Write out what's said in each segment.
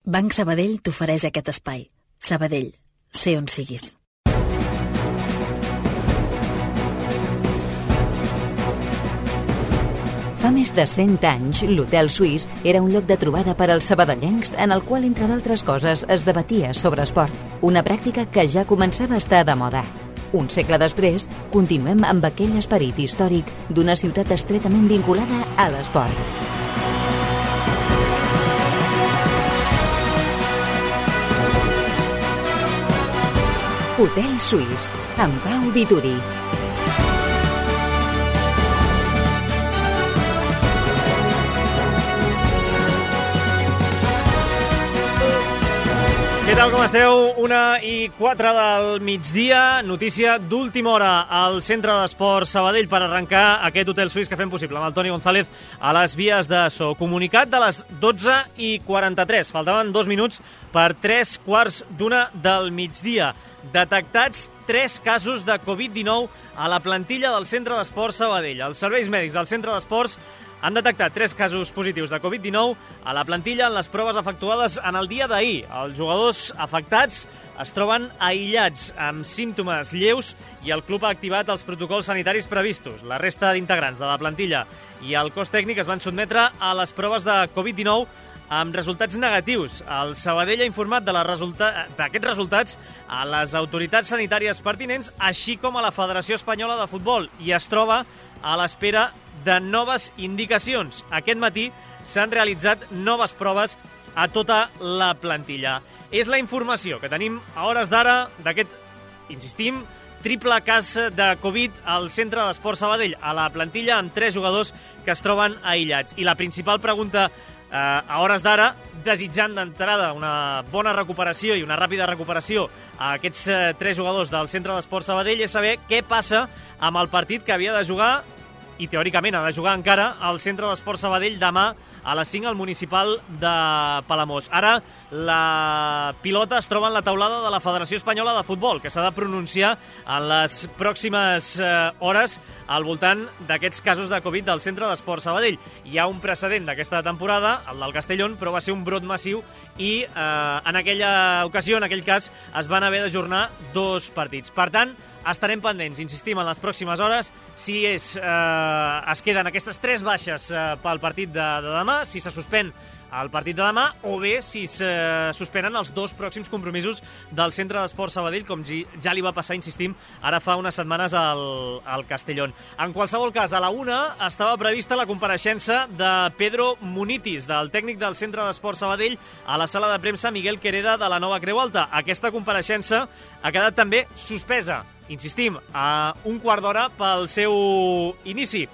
Banc Sabadell t'ofereix aquest espai. Sabadell, sé on siguis. Fa més de 100 anys, l'Hotel Suís era un lloc de trobada per als sabadellencs en el qual, entre d'altres coses, es debatia sobre esport. Una pràctica que ja començava a estar de moda. Un segle després, continuem amb aquell esperit històric d'una ciutat estretament vinculada a l'esport. Hotel Suís, amb Pau Vituri. Què tal, com esteu? 1:04 del migdia, notícia d'última hora al Centre d'Esports Sabadell per arrencar aquest Hotel Suís que fem possible amb el Toni González a les vies de so. Comunicat de les 12:43, faltaven 2 minuts per 3:15 del migdia. Detectats 3 casos de Covid-19 a la plantilla del Centre d'Esports Sabadell. Els serveis mèdics del Centre d'Esports han detectat 3 casos positius de Covid-19 a la plantilla en les proves efectuades en el dia d'ahir. Els jugadors afectats es troben aïllats amb símptomes lleus i el club ha activat els protocols sanitaris previstos. La resta d'integrants de la plantilla i el cos tècnic es van sotmetre a les proves de Covid-19 amb resultats negatius. El Sabadell ha informat d'aquests resultats a les autoritats sanitàries pertinents, així com a la Federació Espanyola de Futbol, i es troba a l'espera de noves indicacions. Aquest matí s'han realitzat noves proves a tota la plantilla. És la informació que tenim a hores d'ara d'aquest, insistim, triple cas de Covid al Centre d'Esports Sabadell, a la plantilla amb 3 jugadors que es troben aïllats. I la principal pregunta a hores d'ara, desitjant d'entrada una bona recuperació i una ràpida recuperació a aquests 3 jugadors del Centre d'Esports Sabadell, és saber què passa amb el partit que havia de jugar, i teòricament ha de jugar encara, al Centre d'Esports Sabadell demà a les 5 al Municipal de Palamós. Ara la pilota es troba en la taulada de la Federació Espanyola de Futbol, que s'ha de pronunciar en les pròximes hores al voltant d'aquests casos de Covid del Centre d'Esports Sabadell. Hi ha un precedent d'aquesta temporada, el del Castellón, però va ser un brot massiu i en aquella ocasió, en aquell cas, es van haver d'ajornar 2 partits. Per tant, estarem pendents, insistim, en les pròximes hores, si es queden aquestes 3 baixes pel partit de demà, si se suspèn el partit de demà, o bé si se suspenen els 2 pròxims compromisos del Centre d'Esports Sabadell, com ja li va passar, insistim, ara fa unes setmanes al Castellón. En qualsevol cas, a la 1 estava prevista la compareixença de Pedro Munitis, del tècnic del Centre d'Esports Sabadell, a la sala de premsa Miguel Quereda de la Nova Creu Alta. Aquesta compareixença ha quedat també suspesa, insistim, a 1/4 d'hora pel seu inici.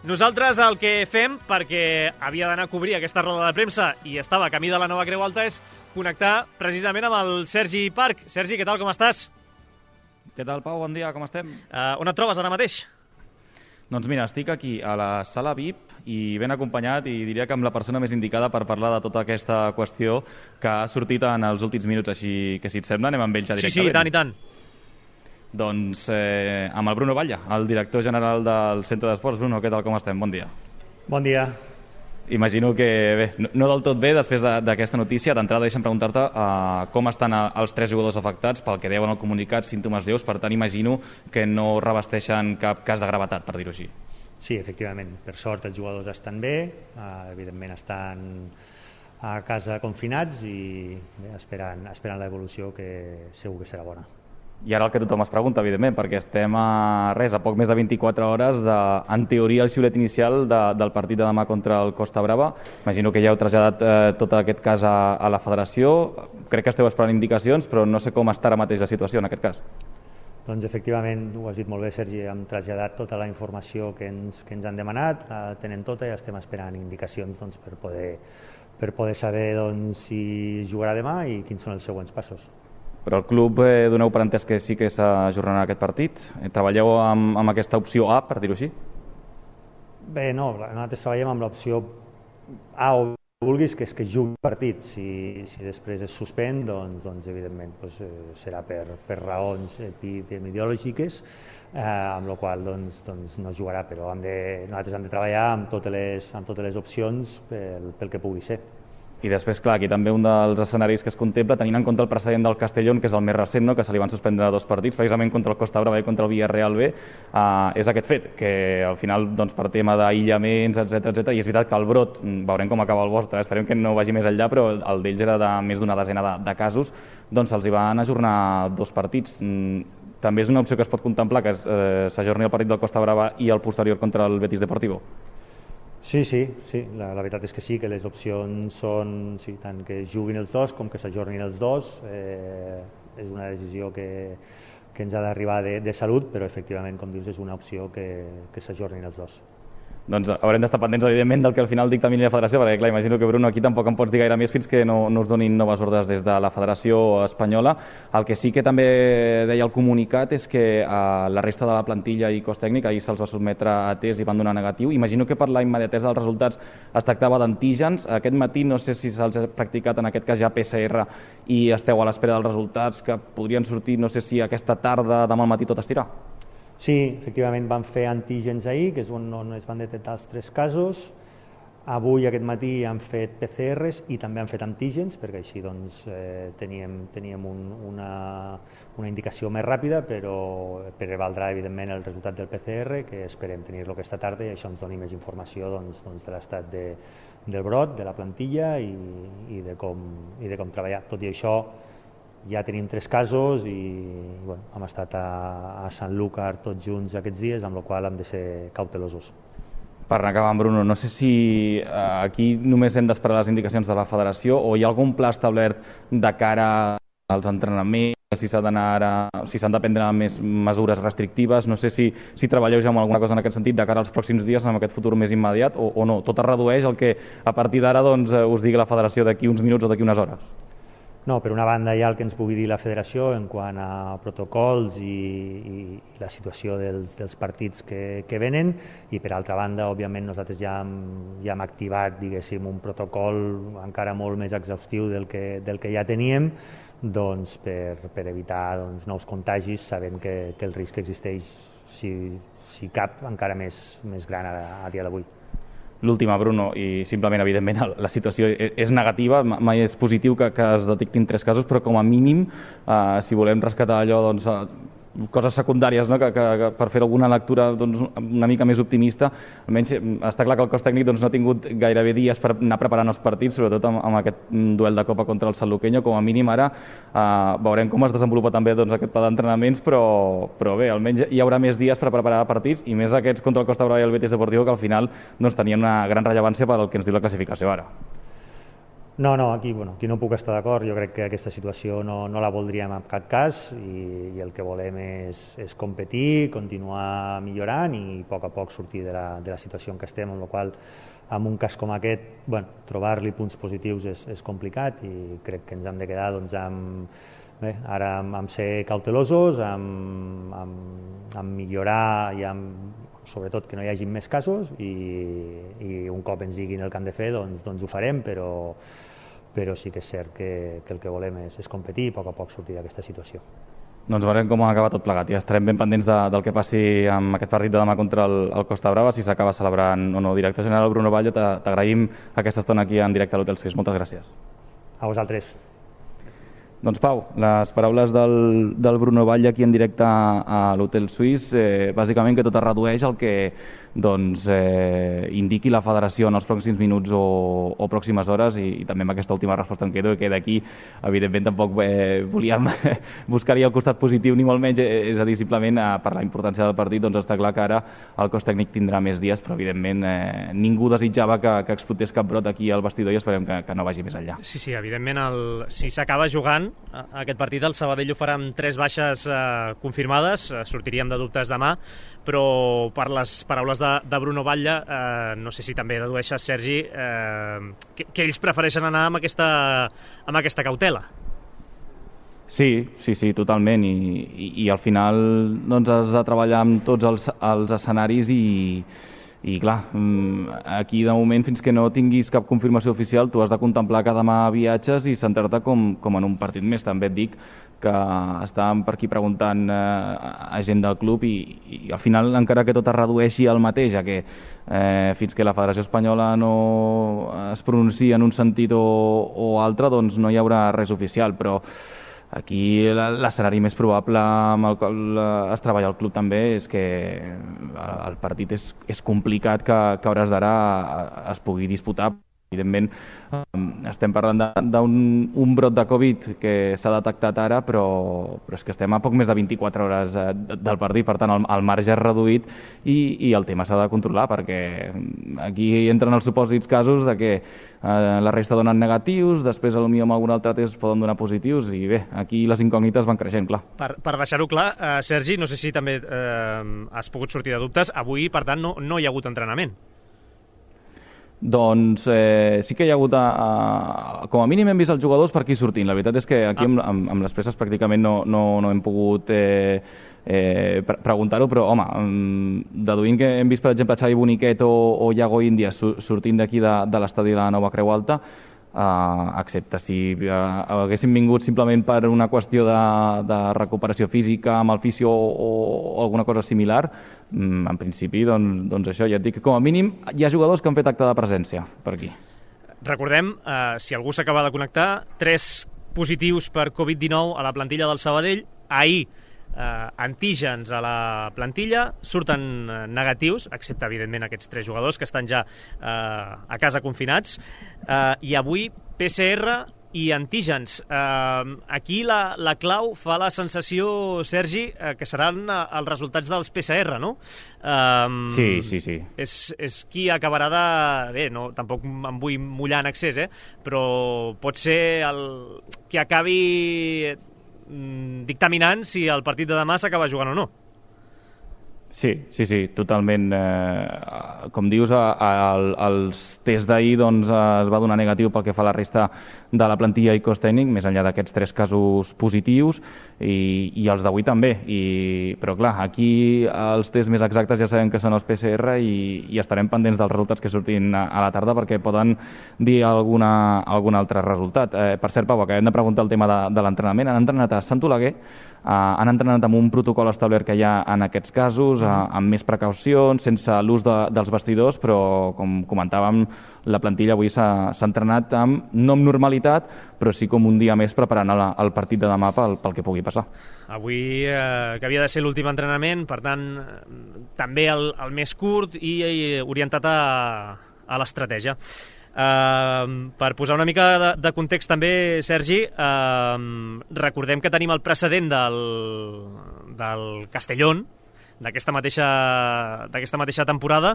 Nosaltres el que fem, perquè havia d'anar a cobrir aquesta roda de premsa i estava a camí de la Nova Creu Alta, és connectar precisament amb el Sergi Parc. Sergi, què tal, com estàs? Què tal, Pau? Bon dia, com estem? On et trobes ara mateix? Doncs mira, estic aquí a la sala VIP i ben acompanyat, i diria que amb la persona més indicada per parlar de tota aquesta qüestió que ha sortit en els últims minuts, així que si et sembla anem amb ell ja directament. Sí, i tant. Doncs amb el Bruno Batlle, el director general del Centre d'Esports. Bruno, què tal, com estem? Bon dia. Bon dia. Imagino que bé, no del tot bé després d'aquesta notícia. D'entrada deixa'm preguntar-te com estan els 3 jugadors afectats, pel que deuen al comunicat, símptomes lleus, per tant imagino que no revesteixen cap cas de gravetat, per dir-ho així. Sí, efectivament, per sort els jugadors estan bé, evidentment estan a casa confinats i bé, esperant l'evolució, que segur que serà bona. I ara el que tothom es pregunta, evidentment, perquè estem a poc més de 24 hores en teoria, el xiulet inicial del partit de demà contra el Costa Brava. Imagino que ja heu traslladat tot aquest cas a la federació. Crec que esteu esperant indicacions, però no sé com està ara mateix la situació en aquest cas. Doncs efectivament, ho has dit molt bé, Sergi, hem traslladat tota la informació que ens han demanat, la tenen tota i estem esperant indicacions per poder saber si jugarà demà i quins són els següents passos. Però el club doneu per entès que sí que s'ajornarà aquest partit? Treballeu amb aquesta opció A, per dir-ho així? Bé, no, nosaltres treballem amb l'opció A o vulguis, que és que jugui el partit. Si després es suspèn, doncs evidentment serà per raons epidemiològiques, amb la qual cosa no jugarà, però nosaltres hem de treballar amb totes les opcions pel que pugui ser. I després, clar, aquí també un dels escenaris que es contempla, tenint en compte el precedent del Castellón, que és el més recent, no? Que se li van suspendre 2 partits, precisament contra el Costa Brava i contra el Villarreal B, és aquest fet, que al final, doncs, per tema d'aïllaments, etc, i és veritat que el brot, veurem com acaba el vostre, esperem que no vagi més enllà, però el d'ells era de més d'una desena de casos, doncs se'ls hi van ajornar 2 partits. També és una opció que es pot contemplar, que s'ajorni el partit del Costa Brava i el posterior contra el Betis Deportivo. Sí, la veritat és que sí, que les opcions són tant que juguin els dos com que s'ajornin els dos. És una decisió que ens ha d'arribar de salut, però efectivament, com dius, és una opció que s'ajornin els dos. Doncs haurem d'estar pendents, evidentment, del que al final dictamini la federació, perquè, clar, imagino que, Bruno, aquí tampoc em pots dir gaire més fins que no us donin noves ordres des de la Federació Espanyola. El que sí que també deia el comunicat és que la resta de la plantilla i cos tècnic ahir se'ls va sotmetre a test i van donar negatiu. Imagino que per la immediatesa dels resultats es tractava d'antígens. Aquest matí no sé si se'ls ha practicat, en aquest cas ja PCR, i esteu a l'espera dels resultats que podrien sortir, no sé si aquesta tarda, demà al matí tot estirà. Sí, efectivament van fer antígens ahir, que és on es van detectar els 3 casos. Avui, aquest matí, han fet PCRs i també han fet antígens, perquè així doncs, teníem una indicació més ràpida, però prevaldrà, evidentment, el resultat del PCR, que esperem tenir-lo aquesta tarda, i això ens doni més informació doncs, de l'estat del brot, de la plantilla i de com treballar. Tot i això, ja tenim 3 casos i hem estat a Sanlúcar tots junts aquests dies, amb la qual cosa hem de ser cautelosos. Per anar acabant, Bruno, no sé si aquí només hem d'esperar les indicacions de la federació o hi ha algun pla establert de cara als entrenaments, si s'han de prendre més mesures restrictives. No sé si treballeu ja amb alguna cosa en aquest sentit de cara als pròxims dies, en aquest futur més immediat, o no, tot es redueix al que a partir d'ara us digui la federació d'aquí uns minuts o d'aquí unes hores. No, per una banda hi ha el que ens pugui dir la federació en quant a protocols i la situació dels partits que venen, i per altra banda, òbviament, nosaltres ja hem activat, diguéssim, un protocol encara molt més exhaustiu del que ja teníem, doncs, per evitar nous contagis, sabent que el risc existeix, si cap, encara més gran a dia d'avui. L'última, Bruno, i simplement, evidentment, la situació és negativa, mai és positiu que es detectin 3 casos, però com a mínim, si volem rescatar allò, doncs, coses secundàries, no? que per fer alguna lectura una mica més optimista, almenys està clar que el cos tècnic no ha tingut gairebé dies per anar preparant els partits, sobretot amb aquest duel de Copa contra el Sanluqueño. Com a mínim ara veurem com es desenvolupa també aquest pla d'entrenaments, però bé, almenys hi haurà més dies per preparar partits, i més aquests contra el Costa Brava i el Betis Deportivo, que al final tenien una gran rellevància per al que ens diu la classificació ara. No, aquí no puc estar d'acord. Jo crec que aquesta situació no la voldríem en cap cas, i el que volem és competir, continuar millorant i a poc sortir de la situació en què estem, amb la qual en un cas com aquest trobar-li punts positius és complicat, i crec que ens hem de quedar amb ser cautelosos, amb millorar i sobretot que no hi hagi més casos, i un cop ens diguin el que han de fer doncs ho farem, però sí que és cert que el que volem és competir i a poc sortir d'aquesta situació. Doncs veurem com acaba tot plegat, i estarem ben pendents del que passi amb aquest partit de demà contra el Costa Brava, si s'acaba celebrant o no. Director general Bruno Batlle, t'agraïm aquesta estona aquí en directe a l'Hotel Suís. Moltes gràcies. A vosaltres. Doncs Pau, les paraules del Bruno Batlle aquí en directe a l'Hotel Suís, bàsicament que tot es redueix al que indiqui la federació en els pròxims minuts o pròximes hores, i també amb aquesta última resposta em quedo, que d'aquí evidentment tampoc volíem buscar-hi el costat positiu ni molt menys, és a dir, simplement per la importància del partit està clar que ara el cos tècnic tindrà més dies, però evidentment ningú desitjava que explotés cap brot aquí al vestidor, i esperem que no vagi més enllà. Sí, evidentment, si s'acaba jugant aquest partit, el Sabadell ho farà amb 3 baixes confirmades, sortiríem de dubtes demà, però per les paraules de Bruno Batlle, no sé si també dedueixes, Sergi, que ells prefereixen anar amb aquesta cautela. Sí, totalment, i al final has de treballar amb tots els escenaris, I clar, aquí de moment, fins que no tinguis cap confirmació oficial, tu has de contemplar que demà viatges i centrar-te com en un partit més. També et dic que estàvem per aquí preguntant a gent del club i al final, encara que tot es redueixi al mateix, ja que fins que la Federació Espanyola no es pronunciï en un sentit o altre, doncs no hi haurà res oficial, però aquí l'escenari més probable amb el qual es treballa al club també és que el partit és complicat que a hores d'ara es pugui disputar. Evidentment, estem parlant d'un brot de Covid que s'ha detectat ara, però és que estem a poc més de 24 hores del partit, per tant el marge és reduït i el tema s'ha de controlar, perquè aquí entren els supòsits casos de que la resta donen negatius, després potser amb algun altre test poden donar positius, i bé, aquí les incògnites van creixent, clar. Per deixar-ho clar, Sergi, no sé si també has pogut sortir de dubtes, avui, per tant, no hi ha hagut entrenament. Doncs sí que hi ha hagut, com a mínim hem vist els jugadors per aquí sortint. La veritat és que aquí amb les peces pràcticament no hem pogut preguntar-ho, però home, deduint que hem vist per exemple Xavi Boniquet o Iago Índias sortint d'aquí de l'estadi de la Nova Creu Alta, excepte si haguessin vingut simplement per una qüestió de recuperació física amb el fisio o alguna cosa similar, en principi, doncs això, ja et dic que com a mínim hi ha jugadors que han fet acte de presència per aquí. Recordem, si algú s'acaba de connectar, 3 positius per Covid-19 a la plantilla del Sabadell. Ahir, antígens a la plantilla, surten negatius, excepte evidentment aquests 3 jugadors que estan ja a casa confinats, i avui PCR i antígens. Aquí la clau fa la sensació, Sergi, que seran els resultats dels PCR, no? Sí. És qui acabarà de... Bé, no, tampoc em vull mullar en excés, però pot ser qui acabi dictaminant si el partit de demà s'acaba jugant o no. Sí, totalment. Com dius, els tests d'ahir es va donar negatiu pel que fa a la resta de la plantilla i cos tècnic, més enllà d'aquests 3 casos positius, i els d'avui també. Però clar, aquí els tests més exactes ja sabem que són els PCR i estarem pendents dels resultats que surtin a la tarda, perquè poden dir algun altre resultat. Per cert, Pau, acabem de preguntar el tema de l'entrenament. Han entrenat a Sant Oleguer, han entrenat amb un protocol establert que hi ha en aquests casos, amb més precaucions, sense l'ús dels vestidors, però com comentàvem, la plantilla avui s'ha entrenat no amb normalitat, però sí com un dia més preparant el partit de demà pel que pugui passar. Avui, que havia de ser l'últim entrenament, per tant, també el més curt i orientat a l'estratègia. Per posar una mica de context també, Sergi, recordem que tenim el precedent del Castellón, d'aquesta mateixa temporada,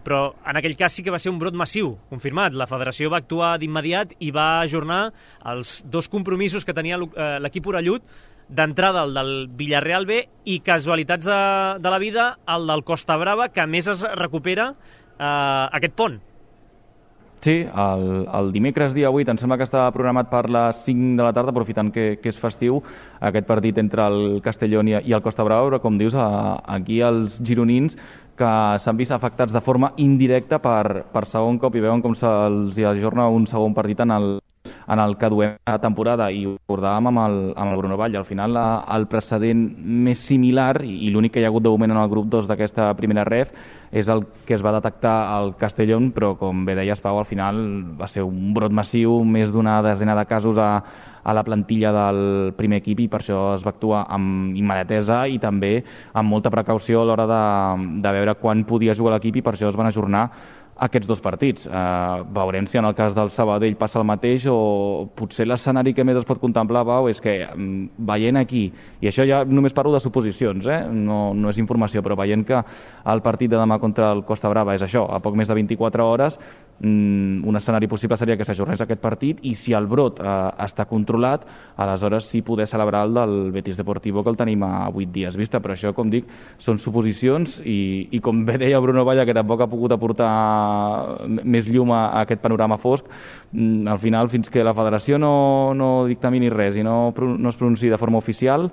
però en aquell cas sí que va ser un brot massiu, confirmat. La federació va actuar d'immediat i va ajornar els 2 compromisos que tenia l'equip orellut, d'entrada el del Villarreal B i, casualitats de la vida, el del Costa Brava, que a més es recupera aquest pont. Sí, el dimecres dia 8 em sembla que estava programat per les 5 de la tarda, aprofitant que és festiu, aquest partit entre el Castellón i el Costa Brava, però com dius, aquí els gironins que s'han vist afectats de forma indirecta per segon cop i veuen com se'ls ajorna un segon partit en el que duem a temporada, i ho recordàvem amb el Bruno Vall. Al final el precedent més similar i l'únic que hi ha hagut de moment en el grup 2 d'aquesta primera ref és el que es va detectar al Castellón, però com bé deies, Pau, al final va ser un brot massiu, més d'una desena de casos a la plantilla del primer equip, i per això es va actuar amb immediatesa i també amb molta precaució a l'hora de veure quan podia jugar l'equip, i per això es van ajornar aquests 2 partits. Veurem si en el cas del Sabadell passa el mateix, o potser l'escenari que més es pot contemplar, Pau, és que veient aquí, i això ja només parlo de suposicions, no és informació, però veient que el partit de demà contra el Costa Brava és això, a poc més de 24 hores, un escenari possible seria que s'ajornés aquest partit, i si el brot està controlat, aleshores sí poder celebrar el del Betis Deportivo, que el tenim a 8 dies vista. Però això, com dic, són suposicions, i com bé deia Bruno Valla, que tampoc ha pogut aportar més llum a aquest panorama fosc, al final, fins que la federació no dictamini res i no es pronunciï de forma oficial,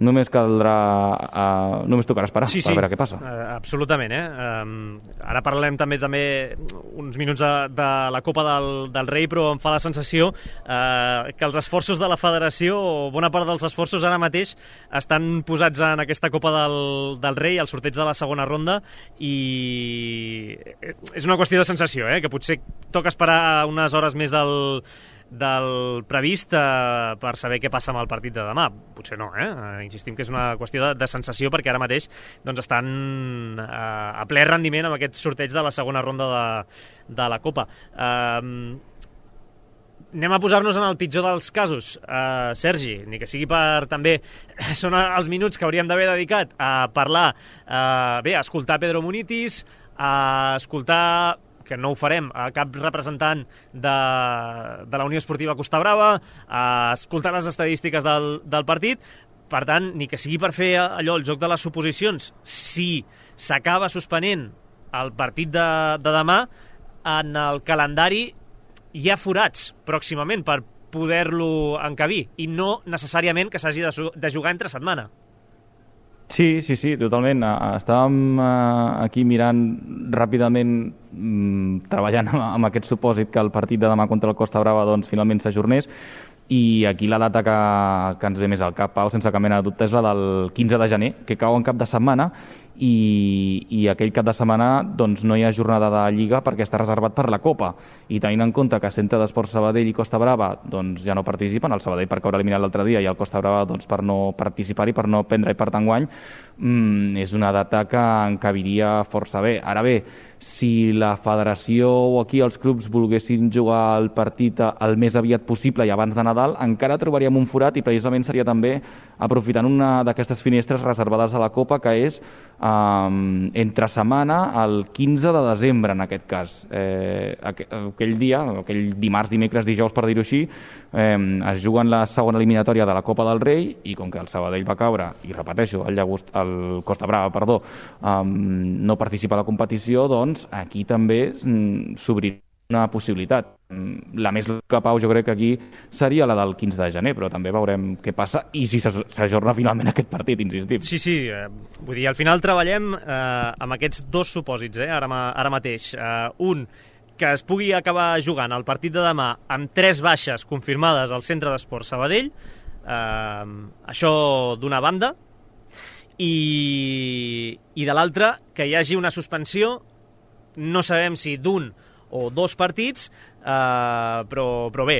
només tocarà esperar per veure què passa. Absolutament. Ara parlarem també uns minuts de la Copa del Rei, però em fa la sensació que els esforços de la federació, o bona part dels esforços ara mateix, estan posats en aquesta Copa del Rei, al sorteig de la segona ronda, i és una qüestió de sensació, que potser toca esperar unes hores més del previst per saber què passa amb el partit de demà. Potser no, insistim que és una qüestió de sensació, perquè ara mateix estan a ple rendiment amb aquest sorteig de la segona ronda de la Copa. Anem a posar-nos en el pitjor dels casos, Sergi, ni que sigui per també... Són els minuts que hauríem d'haver dedicat a parlar, a escoltar Pedro Munitis, a escoltar, que no ho farem, a cap representant de la Unió Esportiva Costa Brava, a escoltar les estadístiques del partit. Per tant, ni que sigui per fer allò, el joc de les suposicions, si s'acaba suspenent el partit de demà, en el calendari hi ha forats pròximament per poder-lo encabir, i no necessàriament que s'hagi de jugar entre setmana. Sí, totalment. Estàvem aquí mirant ràpidament, treballant amb aquest supòsit que el partit de demà contra el Costa Brava finalment s'ajornés, i aquí la data que ens ve més al cap, Pau, sense cap mena de dubte, és la del 15 de gener, que cau en cap de setmana, i aquell cap de setmana no hi ha jornada de Lliga perquè està reservat per la Copa, i tenint en compte que Centre d'Esports Sabadell i Costa Brava ja no participen, el Sabadell per caure eliminat l'altre dia i el Costa Brava per no participar-hi, per no prendre-hi part enguany, és una data que encabiria força bé. Ara bé, si la federació o aquí els clubs volguessin jugar el partit el més aviat possible i abans de Nadal, encara trobaríem un forat, i precisament seria també aprofitant una d'aquestes finestres reservades a la Copa, que és entre setmana, el 15 de desembre en aquest cas. Aquell dia, aquell dimarts, dimecres, dijous, per dir-ho així, es juguen la segona eliminatòria de la Copa del Rei, i com que el Sabadell va caure, i repeteixo, el Costa Brava, no participa a la competició, aquí també s'obrirà una possibilitat. La més lògica, Pau, jo crec que aquí seria la del 15 de gener, però també veurem què passa i si s'ajorna finalment aquest partit, insistim. Sí, vull dir, al final treballem amb aquests dos supòsits, ara mateix. Un, que es pugui acabar jugant el partit de demà amb 3 baixes confirmades al Centre d'Esports Sabadell, això d'una banda, i de l'altra, que hi hagi una suspensió, no sabem si d'un o 2 partits, però bé,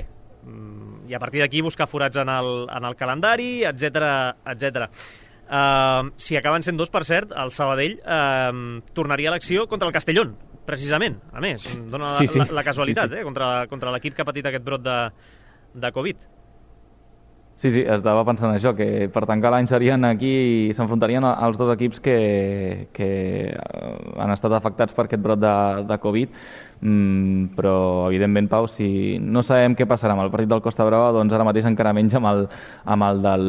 i a partir d'aquí buscar forats en el calendari, etc. Si acaben sent 2, per cert, el Sabadell tornaria a l'acció contra el Castellón, precisament, a més, dona la casualitat, contra l'equip que ha patit aquest brot de Covid. Sí, estava pensant això, que per tancar l'any s'enfrontarien els 2 equips que han estat afectats per aquest brot de Covid, però evidentment, Pau, si no sabem què passarà amb el partit del Costa Brava, ara mateix encara menys amb el del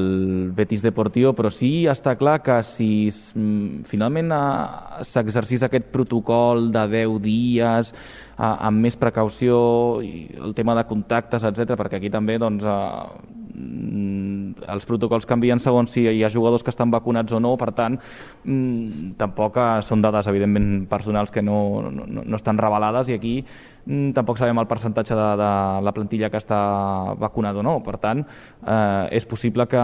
Betis Deportivo, però sí està clar que si finalment s'exercís aquest protocol de 10 dies amb més precaució, i el tema de contactes, etc., perquè aquí també els protocols canvien segons si hi ha jugadors que estan vacunats o no, per tant tampoc són dades evidentment personals que no estan revelades, i aquí tampoc sabem el percentatge de la plantilla que està vacunada o no. Per tant, és possible que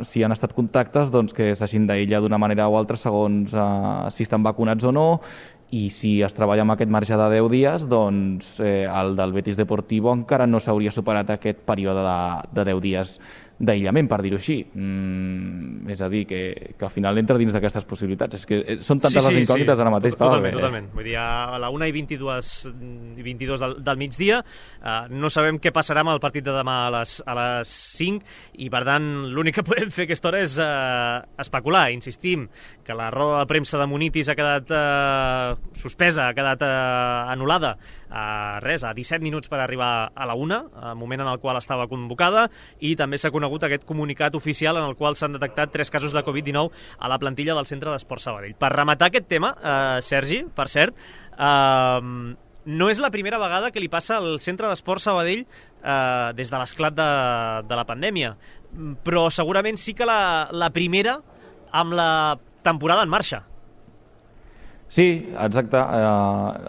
si han estat contactes que s'hagin d'aïllar d'una manera o altra segons si estan vacunats o no, i si es treballa amb aquest marge de 10 dies, el del Betis Deportivo encara no s'hauria superat aquest període de 10 dies d'aïllament, per dir-ho així. És a dir, que al final entra dins d'aquestes possibilitats. És que són tantes les incògnites ara mateix. Totalment. Vull dir, a la 1:22 del migdia no sabem què passarà amb el partit de demà a les 5, i per tant l'únic que podem fer a aquesta hora és especular. Insistim que la roda de premsa de Munitis ha quedat suspesa, ha quedat anul·lada a 17 minuts per arribar a la 1, al moment en el qual estava convocada, i també s'ha conegut aquest comunicat oficial en el qual s'han detectat 3 casos de Covid-19 a la plantilla del Centre d'Esports Sabadell. Per rematar aquest tema, Sergi, per cert, no és la primera vegada que li passa al Centre d'Esports Sabadell des de l'esclat de la pandèmia. però segurament sí que la primera amb la temporada en marxa. Sí, exacte.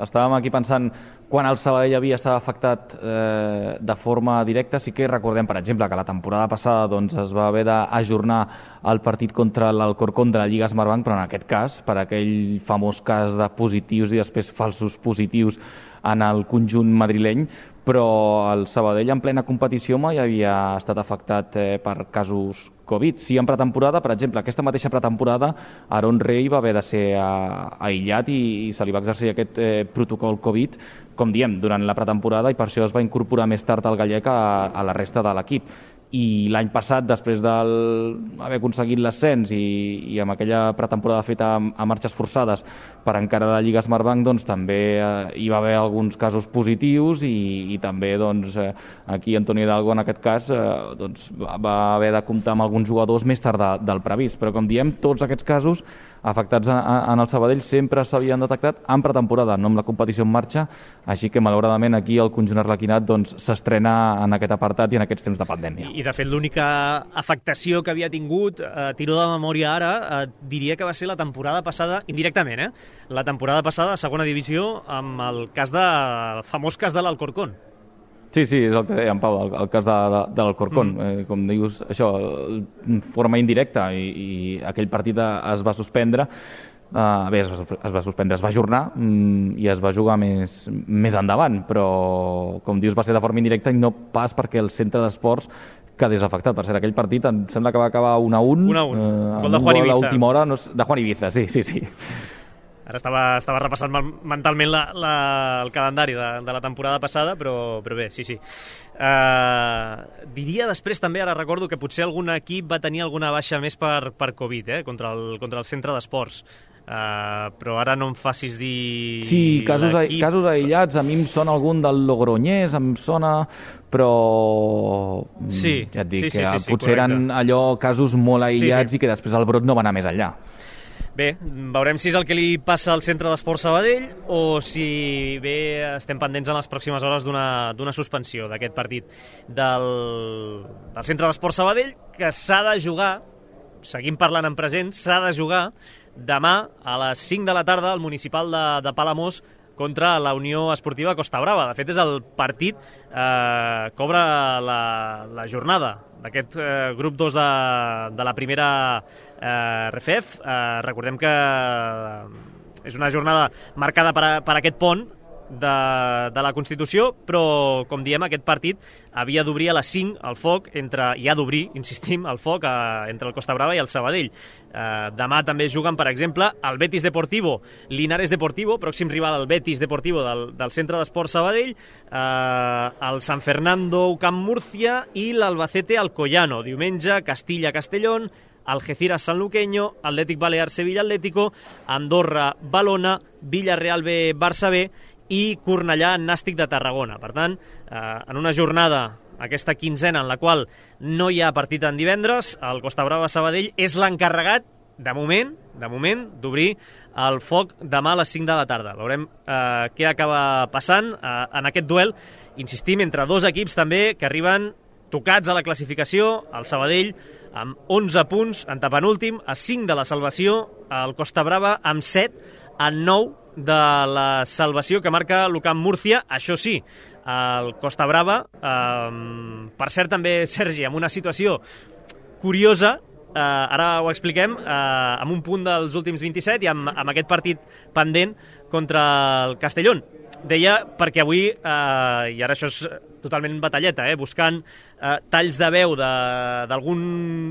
Estàvem aquí pensant quan el Sabadell havia estat afectat de forma directa. Sí que recordem, per exemple, que la temporada passada doncs, es va haver d'ajornar el partit contra l'Alcorcón de la Lliga Smartbank, però en aquest cas, per aquell famós cas de positius i després falsos positius en el conjunt madrileny, però el Sabadell en plena competició mai havia estat afectat per casos Covid. Sí, en pretemporada, per exemple, aquesta mateixa pretemporada, Aaron Rey va haver de ser aïllat i se li va exercir aquest protocol Covid, com diem, durant la pretemporada, i per això es va incorporar més tard el gallec a la resta de l'equip. I l'any passat, després d'haver aconseguit l'ascens i amb aquella pretemporada feta a marxes forçades per encarar la Lliga Smartbank, doncs també hi va haver alguns casos positius i també doncs, aquí Antoni Hidalgo en aquest cas doncs, va haver de comptar amb alguns jugadors més tard del previst, però com diem, tots aquests casos afectats en el Sabadell sempre s'havien detectat en pretemporada, no amb la competició en marxa, així que malauradament aquí el conjunt arlequinat doncs, s'estrena en aquest apartat i en aquests temps de pandèmia. I de fet l'única afectació que havia tingut, tiro de memòria ara, diria que va ser la temporada passada, indirectament, la temporada passada a segona divisió amb el famós cas de l'Alcorcón. Sí, és el que deia en Pau, el cas de l'Alcorcón. Com dius, això, de forma indirecta, i aquell partit es va suspendre. Es va ajornar i es va jugar més endavant, però, com dius, va ser de forma indirecta i no pas perquè el centre d'esports quedés afectat. Per cert, aquell partit em sembla que va acabar 1-1. 1-1. Gol de Juan Ibiza. A l'última hora, de Juan Ibiza, sí. Ara estava repassant mentalment el calendari de la temporada passada, però bé, sí. Diria després també, ara recordo que potser algun equip va tenir alguna baixa més per Covid, contra el centre d'esports. Però ara no em facis dir... Sí, casos aïllats, a mi em sona algun del Logroñés, em sona, però sí, ja et dic sí, que potser correcte. Eren allò casos molt aïllats i que després el brot no va anar més enllà. Bé, veurem si és el que li passa al centre d'Esports Sabadell o si bé estem pendents en les pròximes hores d'una suspensió d'aquest partit del centre d'Esports Sabadell, que s'ha de jugar, seguim parlant en present, s'ha de jugar demà a les 5 de la tarda al municipal de Palamós contra la Unió Esportiva Costa Brava. De fet, és el partit que obre la jornada d'aquest grup 2 de la primera RFEF. Recordem que és una jornada marcada per aquest pont de la Constitució, però, com diem, aquest partit havia d'obrir a les 5 el foc i ha d'obrir, insistim, el foc entre el Costa Brava i el Sabadell. Demà també juguen, per exemple, el Betis Deportivo, Linares Deportivo, pròxim rival del Betis Deportivo del Centre d'Esports Sabadell, el San Fernando Camp Murcia i l'Albacete Alcoyano. Diumenge, Castilla-Castellón, Algeciras Sanluqueño, Atlètic Balear Sevilla Atlético, Andorra Valona, Villarreal B Barça B i Cornellà Nàstic de Tarragona. Per tant, en una jornada, aquesta quinzena en la qual no hi ha partit en divendres, el Costa Brava Sabadell és l'encarregat, de moment, d'obrir el foc demà a les 5 de la tarda. Veurem què acaba passant en aquest duel, insistim, entre dos equips també que arriben tocats a la classificació, el Sabadell amb 11 punts, en tapenúltim, a 5 de la salvació, el Costa Brava amb 7, a 9 de la salvació que marca l'Ucamp Múrcia. Això sí, el Costa Brava, per cert també, Sergi, amb una situació curiosa, ara ho expliquem, amb un punt dels últims 27 i amb aquest partit pendent contra el Castellón. Deia perquè avui, i ara això és totalment batalleta, buscant talls de veu d'algun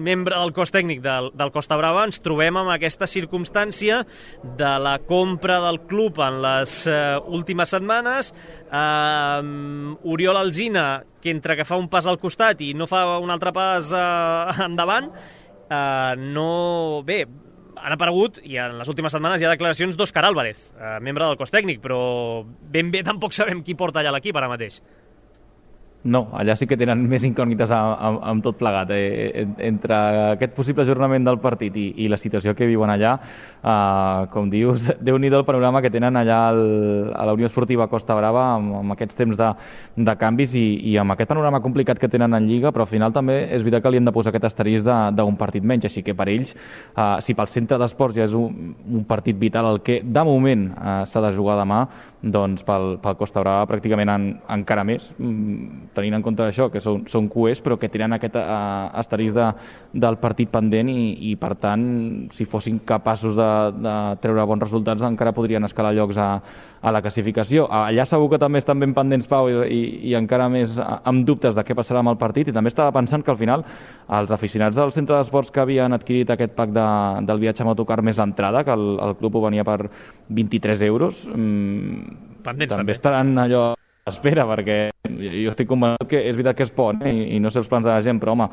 membre del cos tècnic del Costa Brava, ens trobem amb aquesta circumstància de la compra del club en les últimes setmanes. Oriol Alsina, que entre que fa un pas al costat i no fa un altre pas endavant, bé, han aparegut, i en les últimes setmanes hi ha declaracions d'Òscar Álvarez, membre del cos tècnic, però ben bé tampoc sabem qui porta allà l'equip ara mateix. No, allà sí que tenen més incògnites amb tot plegat. Entre aquest possible ajornament del partit i la situació que viuen allà, com dius, Déu-n'hi-do el panorama que tenen allà a la Unió Esportiva Costa Brava amb aquests temps de canvis i amb aquest panorama complicat que tenen en Lliga, però al final també és veritat que li hem de posar aquest asterisc d'un partit menys, així que per ells, si pel centre d'esports ja és un partit vital el que de moment s'ha de jugar demà, doncs pel Costa Brava pràcticament encara més, tenint en compte això, que són cuers, però que tenen aquest asterisc del partit pendent i per tant, si fossin capaços de treure bons resultats, encara podrien escalar llocs a la classificació. Allà segur que també estan ben pendents, Pau, i encara més amb dubtes de què passarà amb el partit, i també estava pensant que al final els aficionats del centre d'esports que havien adquirit aquest pack del viatge amb autocar més l'entrada, que el club ho venia per 23 euros, també estaran allò a l'espera, perquè jo estic convençut que és veritat que és por, i no sé els plans de la gent, però home,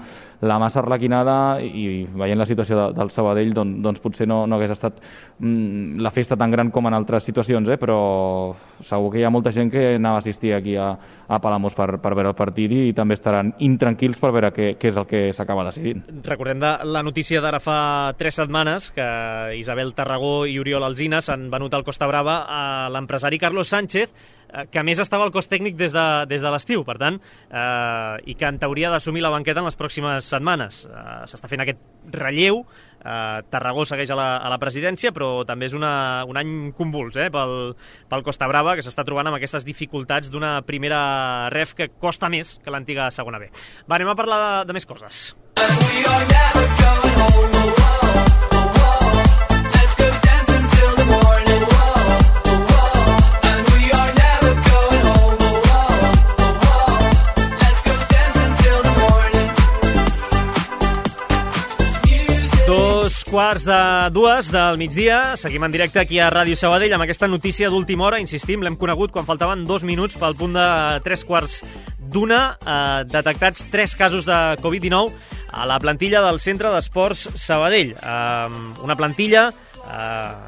la massa arlequinada i veient la situació del Sabadell, doncs potser no hagués estat la festa tan gran com en altres situacions, però segur que hi ha molta gent que anava a assistir aquí a Palamós per veure el partit i també estaran intranquils per veure què és el que s'acaba decidint. Recordem la notícia d'ara fa 3 setmanes que Isabel Tarragó i Oriol Alsina s'han venut al Costa Brava a l'empresari Carlos Sánchez, que a més estava al cos tècnic des de l'estiu, per tant, i que en teoria ha d'assumir la banqueta en les pròximes setmanes. S'està fent aquest relleu, Tarragó segueix a la presidència, però també és un any convuls pel Costa Brava, que s'està trobant amb aquestes dificultats d'una primera ref que costa més que l'antiga segona B. Va, anem a parlar de més coses. Quarts de 2 del migdia, seguim en directe aquí a Ràdio Sabadell amb aquesta notícia d'última hora, insistim, l'hem conegut quan faltaven 2 minuts pel punt de 3:45, detectats 3 casos de Covid-19 a la plantilla del Centre d'Esports Sabadell. Una plantilla,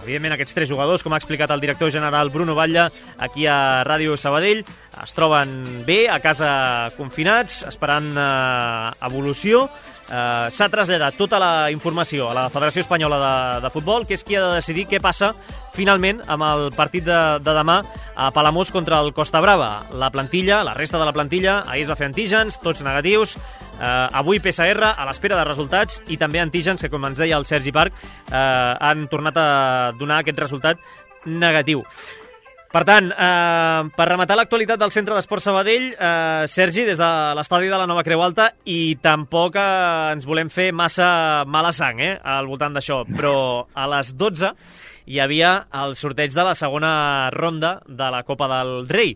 evidentment aquests 3 jugadors, com ha explicat el director general Bruno Batlle aquí a Ràdio Sabadell, es troben bé, a casa confinats, esperant evolució. S'ha traslladat tota la informació a la Federació Espanyola de Futbol, que és qui ha de decidir què passa finalment amb el partit de demà a Palamós contra el Costa Brava. La plantilla, la resta de la plantilla, ahir es va fer antígens, tots negatius, avui PCR a l'espera de resultats i també antígens que, com ens deia el Sergi Parc, han tornat a donar aquest resultat negatiu. Per tant, per rematar l'actualitat del Centre d'Esports Sabadell, Sergi, des de l'estadi de la Nova Creu Alta, i tampoc ens volem fer massa mala sang al voltant d'això, però a les 12 hi havia el sorteig de la segona ronda de la Copa del Rei.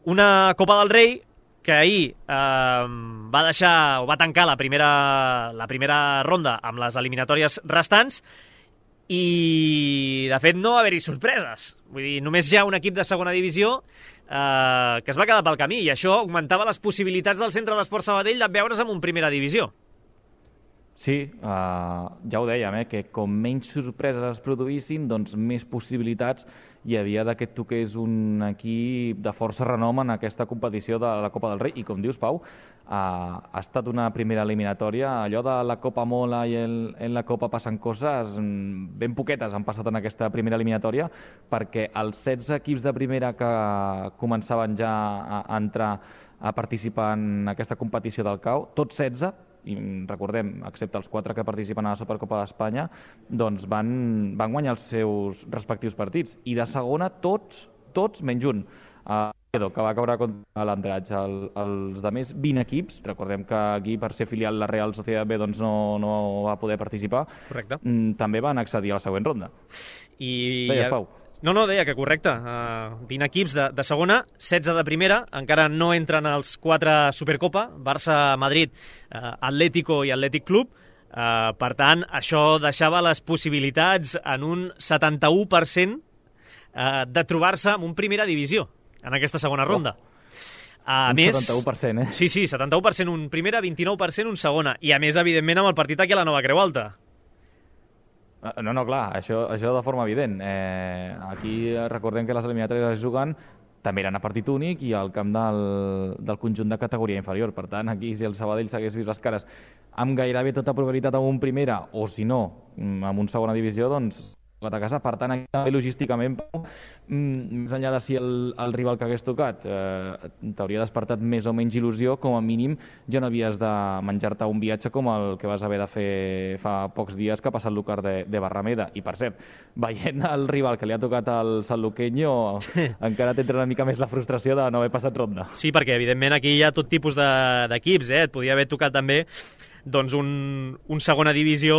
Una Copa del Rei que ahir va tancar la primera ronda amb les eliminatòries restants, i de fet no va haver-hi sorpreses. Vull dir, només hi ha un equip de segona divisió que es va quedar pel camí, i això augmentava les possibilitats del Centre d'Esports Sabadell de veure's en un primera divisió. Sí, ja ho dèiem, que com menys sorpreses es produïssin, doncs més possibilitats hi havia que toqués un equip de força renom en aquesta competició de la Copa del Rei. I com dius, Pau, ha estat una primera eliminatòria. Allò de la Copa mola i en la Copa passen coses, ben poquetes han passat en aquesta primera eliminatòria, perquè els 16 equips de primera que començaven ja a entrar a participar en aquesta competició del CAO, tots 16, i recordem, excepte els 4 que participen a la Supercopa d'Espanya, doncs van guanyar els seus respectius partits. I de segona, tots menys un. Que va caure contra l'Andratx. Els de més 20 equips, recordem que aquí, per ser filial la Real Sociedad B, doncs no va poder participar. Correcte. També van accedir a la següent ronda. Deies, Pau? No, deia que correcte. 20 equips de segona, 16 de primera, encara no entren els 4 Supercopa, Barça, Madrid, Atlético i Atlètic Club. Per tant, això deixava les possibilitats en un 71% de trobar-se en un primera divisió en aquesta segona ronda. A més, 71%, Sí, 71% un primera, 29% un segona. I a més, evidentment, amb el partit aquí a la Nova Creu Alta. No, clar, això de forma evident. Aquí recordem que les eliminatòries es juguen també eren a partit únic i al camp del conjunt de categoria inferior. Per tant, aquí, si el Sabadell s'hagués vist les cares amb gairebé tota probabilitat amb un primera, o si no, amb un segona divisió, doncs a casa. Per tant, aquí també logísticament, més enllà de si el rival que hagués tocat t'hauria despertat més o menys il·lusió, com a mínim ja no havies de menjar-te un viatge com el que vas haver de fer fa pocs dies que ha passat l'Úcar de Barrameda. I per cert, veient el rival que li ha tocat al Sanluqueño, encara t'entra una mica més la frustració de no haver passat ronda. Sí, perquè evidentment aquí hi ha tot tipus d'equips, et podia haver tocat també doncs un segona divisió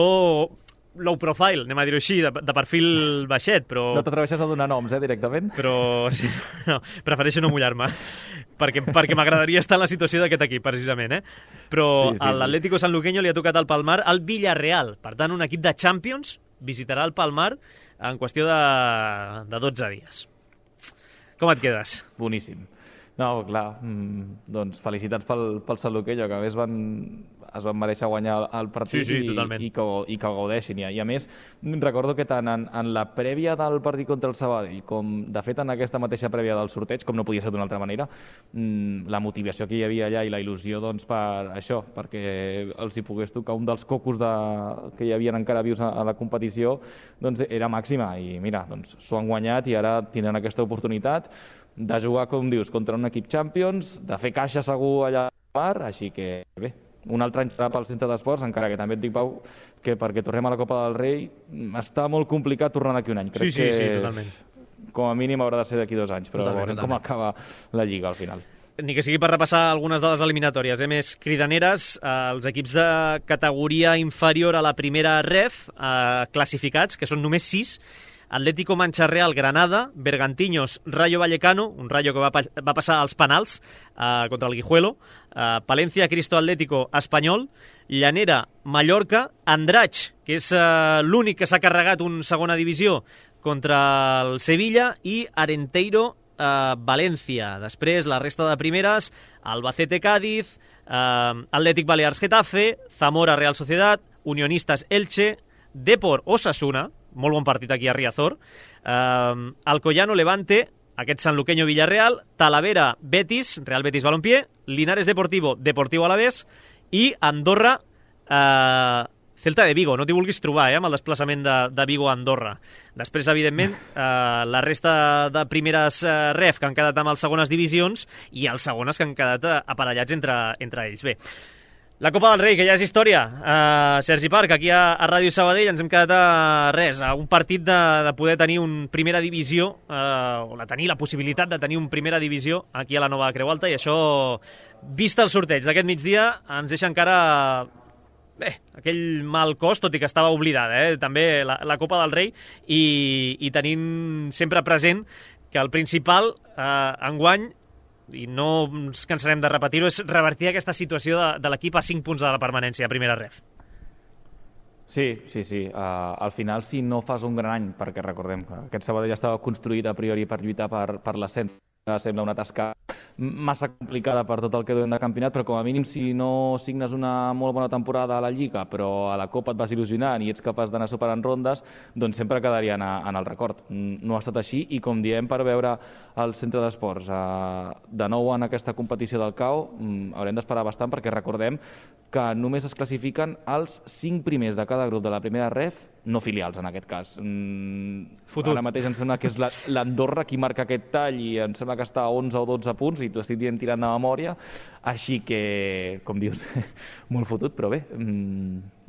low profile, anem a dir-ho així, de perfil baixet, però... No t'atreveixes a donar noms, directament? Però sí, no, prefereixo no mullar-me, perquè m'agradaria estar en la situació d'aquest equip, precisament, Però sí, l'Atlético Sanluqueño li ha tocat al Palmar al Villarreal. Per tant, un equip de Champions visitarà el Palmar en qüestió de 12 dies. Com et quedes? Boníssim. No, clar, doncs felicitats pel Sanluqueño, que a més es van mereixer guanyar el partit i que el gaudeixin. I a més, recordo que tant en la prèvia del partit contra el Sabadell com, de fet, en aquesta mateixa prèvia del sorteig, com no podia ser d'una altra manera, la motivació que hi havia allà i la il·lusió doncs, per això, perquè els hi pogués tocar un dels cocos que hi havien encara vius a la competició, doncs era màxima. I mira, doncs s'ho han guanyat i ara tindran aquesta oportunitat de jugar, com dius, contra un equip Champions, de fer caixa segur allà al Mar, així que bé, un altre any serà pel centre d'esports, encara que també et dic, Pau, que perquè tornem a la Copa del Rei està molt complicat tornar d'aquí un any. Crec sí, totalment. Com a mínim haurà de ser d'aquí 2 anys, però veurem com acaba la Lliga al final. Ni que sigui per repassar algunes de les eliminatòries, més cridaneres, els equips de categoria inferior a la primera ref, classificats, que són només 6, Atlético Mancha Real, Granada, Bergantiños, Rayo Vallecano, un Rayo que va passar als penals contra el Guijuelo, Palencia, Cristo Atlético, Espanyol, Llanera, Mallorca, Andratx, que és l'únic que s'ha carregat un segona divisió contra el Sevilla, i Arenteiro, València. Després, la resta de primeres, Albacete, Cádiz, Atlètic Balears, Getafe, Zamora, Real Sociedad, Unionistas, Elche, Depor, Osasuna, molt bon partit aquí a Riazor, Alcoyano, Levante, aquest Sanluqueño, Villarreal, Talavera, Betis, Real Betis Balompié, Linares Deportivo, Deportivo Alavés, i Andorra, Celta de Vigo. No t'hi vulguis trobar, amb el desplaçament de Vigo a Andorra. Després, evidentment, la resta de primeres ref que han quedat amb les segones divisions i els segones que han quedat aparellats entre ells. Bé, la Copa del Rei, que ja és història. Sergi Parc, aquí a Ràdio Sabadell ens hem quedat a un partit de poder tenir un primera divisió, o de tenir la possibilitat de tenir un primera divisió aquí a la Nova Creu Alta, i això, vist el sorteig d'aquest migdia, ens deixa encara aquell mal cos, tot i que estava oblidada, també la Copa del Rei, i tenint sempre present que el principal enguany, i no ens cansarem de repetir-ho, és revertir aquesta situació de l'equip a 5 punts de la permanència a primera ref. Sí. Al final, si no fas un gran any, perquè recordem que aquest Sabadell estava construït a priori per lluitar per l'ascens, sembla una tasca massa complicada per tot el que duem de campionat, però com a mínim si no signes una molt bona temporada a la Lliga, però a la Copa et vas il·lusionant i ets capaç d'anar superant rondes, doncs sempre quedaria en el record. No ha estat així, i com diem, per veure el centre d'esports de nou en aquesta competició del CAO, haurem d'esperar bastant, perquè recordem que només es classifiquen els 5 primers de cada grup de la primera ref, no filials en aquest cas. Ara mateix em sembla que és l'Andorra qui marca aquest tall, i em sembla que està a 11 o 12 punts, i t'ho estic dient tirant de memòria, així que, com dius, molt fotut, però bé,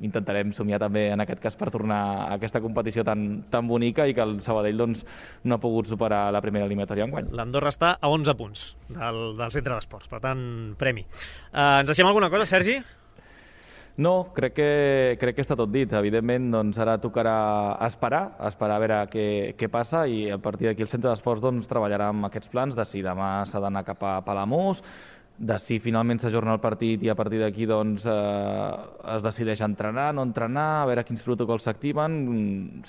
intentarem somiar també en aquest cas per tornar a aquesta competició tan bonica, i que el Sabadell doncs, no ha pogut superar la primera eliminatòria enguany. L'Andorra està a 11 punts del centre d'esports, per tant, premi. Ens deixem alguna cosa, Sergi? No, crec que està tot dit. Evidentment, doncs, ara tocarà esperar a veure què passa, i a partir d'aquí el centre d'esports doncs, treballarà amb aquests plans de si demà s'ha d'anar cap a Palamós, de si finalment s'ajorna el partit i a partir d'aquí doncs, es decideix entrenar, no entrenar, a veure quins protocols s'activen.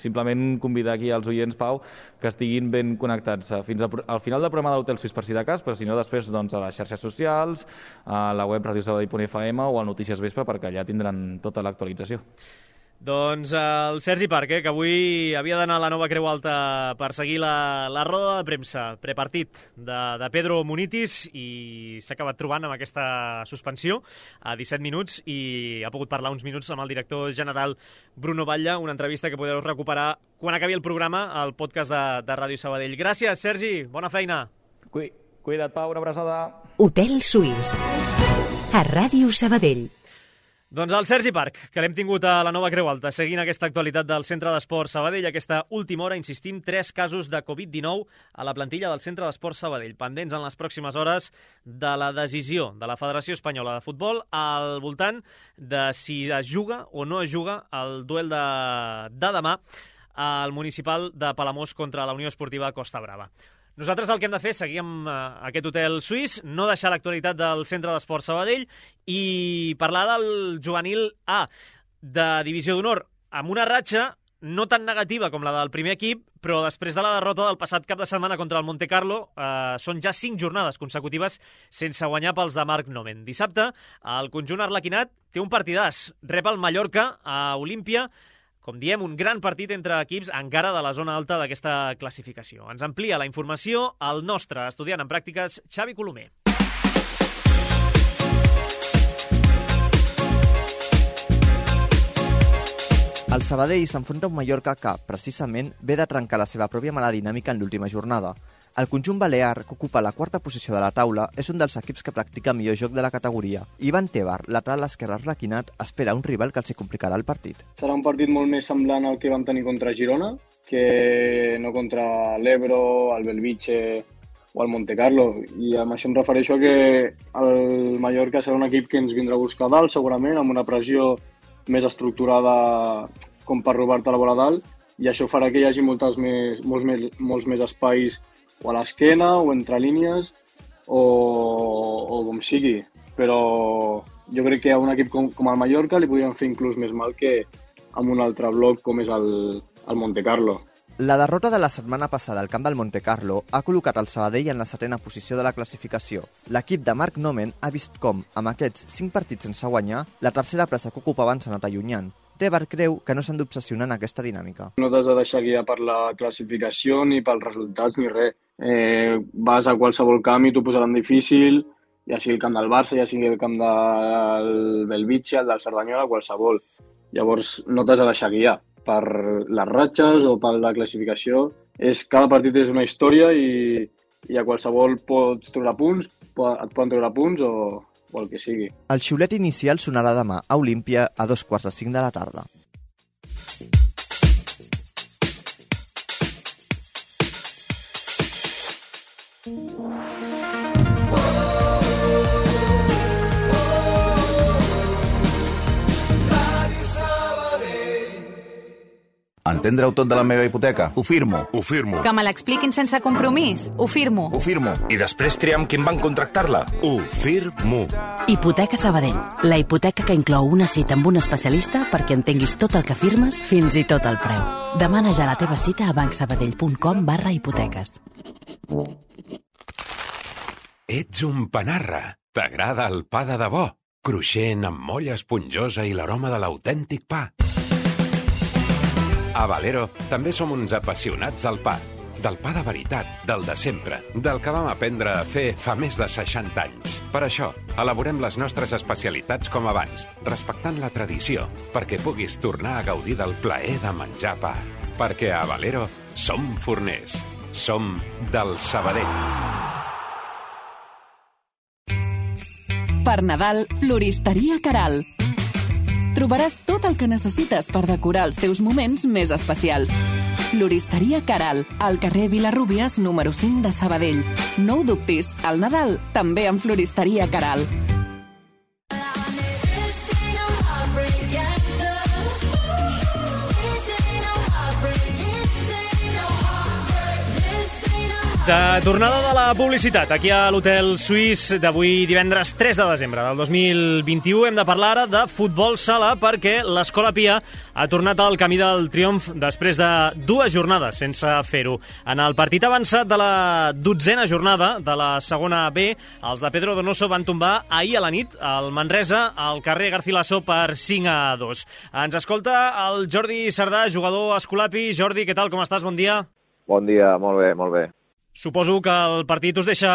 Simplement convidar aquí als oients, Pau, que estiguin ben connectats fins al final del programa de l'Hotel Suís, per si de cas, però si no després doncs, a les xarxes socials, a la web radiosabadell.fm o a Notícies Vespre, perquè allà tindran tota l'actualització. Doncs el Sergi Parc, que avui havia d'anar a la Nova Creu Alta per seguir la roda de premsa prepartit de Pedro Munitis, i s'ha acabat trobant amb aquesta suspensió a 17 minuts i ha pogut parlar uns minuts amb el director general Bruno Batlle, una entrevista que podeu recuperar quan acabi el programa al podcast de Ràdio Sabadell. Gràcies, Sergi, bona feina. Cuida't, Pau, una abraçada. Hotel Suís, a Ràdio Sabadell. Doncs el Sergi Parc, que l'hem tingut a la Nova Creu Alta, seguint aquesta actualitat del Centre d'Esport Sabadell. Aquesta última hora, insistim, 3 casos de Covid-19 a la plantilla del Centre d'Esport Sabadell, pendents en les pròximes hores de la decisió de la Federació Espanyola de Futbol al voltant de si es juga o no es juga el duel de demà al municipal de Palamós contra la Unió Esportiva Costa Brava. Nosaltres el que hem de fer és seguir amb aquest hotel suís, no deixar l'actualitat del Centre d'Esport Sabadell i parlar del juvenil A de Divisió d'Honor, amb una ratxa no tan negativa com la del primer equip, però després de la derrota del passat cap de setmana contra el Montecarlo, són ja 5 jornades consecutives sense guanyar pels de Marc Nomen. Dissabte, el conjunt arlequinat té un partidàs, rep el Mallorca a Olímpia, com diem, un gran partit entre equips encara de la zona alta d'aquesta classificació. Ens amplia la informació el nostre estudiant en pràctiques, Xavi Colomer. El Sabadell s'enfronta a un Mallorca que, precisament, ve de trencar la seva pròpia mala dinàmica en l'última jornada. El conjunt balear, que ocupa la 4a posició de la taula, és un dels equips que practica millor joc de la categoria. Ivan Tebar, lateral esquerre arlequinat, espera un rival que els hi complicarà el partit. Serà un partit molt més semblant al que vam tenir contra Girona, que no contra l'Ebro, el Belvitge o el Montecarlo. I amb això em refereixo a que el Mallorca serà un equip que ens vindrà a buscar dalt, segurament, amb una pressió més estructurada com per robar-te la bola dalt, i això farà que hi hagi molts més espais o a l'esquena, o entre línies, o com sigui. Però jo crec que a un equip com el Mallorca li podrien fer inclús més mal que amb un altre bloc com és el Montecarlo. La derrota de la setmana passada al camp del Montecarlo ha col·locat el Sabadell en la 7a posició de la classificació. L'equip de Marc Nomen ha vist com, amb aquests 5 partits sense guanyar, la tercera plaça que ocupaven s'ha anat allunyant. Tebar creu que no s'han d'obsessionar en aquesta dinàmica. No t'has de deixar guiar per la classificació, ni pels resultats, ni res. Vas a qualsevol camp i t'ho posaran difícil, ja sigui el camp del Barça, ja sigui el camp del Belvitge, el del Cerdanyola, qualsevol. Llavors no t'has de deixar guiar per les ratxes o per la classificació. Cada partit és una història i a qualsevol pots treure punts, et poden treure punts o el que sigui. El xiulet inicial sonarà demà a Olímpia a 2:45 de la tarda. Entendre-ho tot de la meva hipoteca? Ho firmo. Ho firmo. Que me l'expliquin sense compromís? Ho firmo. Ho firmo. I després triar amb qui em van contractar-la? Ho firmo. Hipoteca Sabadell, la hipoteca que inclou una cita amb un especialista perquè entenguis tot el que firmes, fins i tot el preu. Demana ja la teva cita a bancsabadell.com/hipoteques. Ets un panarra. T'agrada el pa de debò? Cruixent, amb molla esponjosa i l'aroma de l'autèntic pa. A Valero també som uns apassionats del pa. Del pa de veritat, del de sempre, del que vam aprendre a fer fa més de 60 anys. Per això, elaborem les nostres especialitats com abans, respectant la tradició, perquè puguis tornar a gaudir del plaer de menjar pa. Perquè a Valero som forners. Som del Sabadell. Per Nadal, Floristeria Caral. Trobaràs tot el que necessites per decorar els teus moments més especials. Floristeria Caral, al carrer Vilarrúbies, número 5 de Sabadell. No ho dubtis, al Nadal també amb Floristeria Caral. De tornada de la publicitat aquí a l'Hotel Suís d'avui divendres 3 de desembre del 2021 hem de parlar ara de futbol sala perquè l'Escola Pia ha tornat al camí del triomf després de 2 jornades sense fer-ho. En el partit avançat de la 12a jornada de la segona B, els de Pedro Donoso van tombar ahir a la nit al Manresa al carrer Garcilaso per 5-2. Ens escolta el Jordi Sardà, jugador Escolapi. Jordi, què tal, com estàs? Bon dia. Bon dia, molt bé, molt bé. Suposo que el partit us deixa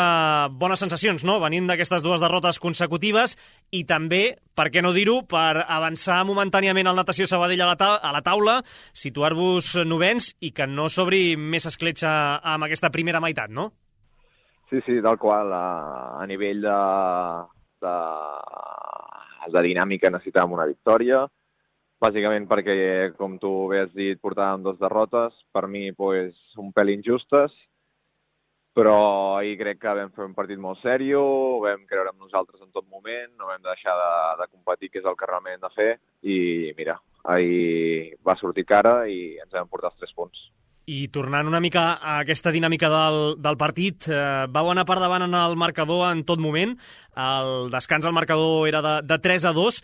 bones sensacions, no?, venint d'aquestes 2 derrotes consecutives i també, per què no dir-ho, per avançar momentàniament al Natació Sabadell a la taula, situar-vos novens i que no s'obri més escletxa amb aquesta primera meitat, no? Sí, tal qual. A nivell de dinàmica necessitàvem una victòria, bàsicament perquè, com tu bé has dit, portàvem 2 derrotes, per mi pues, un pèl injustes, però ahir crec que vam fer un partit molt sèrio, vam creure en nosaltres en tot moment, no vam deixar de competir, que és el que realment hem de fer, i mira, ahir va sortir cara i ens vam portar els 3 punts. I tornant una mica a aquesta dinàmica del partit, vau anar per davant en el marcador en tot moment, el descans al marcador era de 3-2,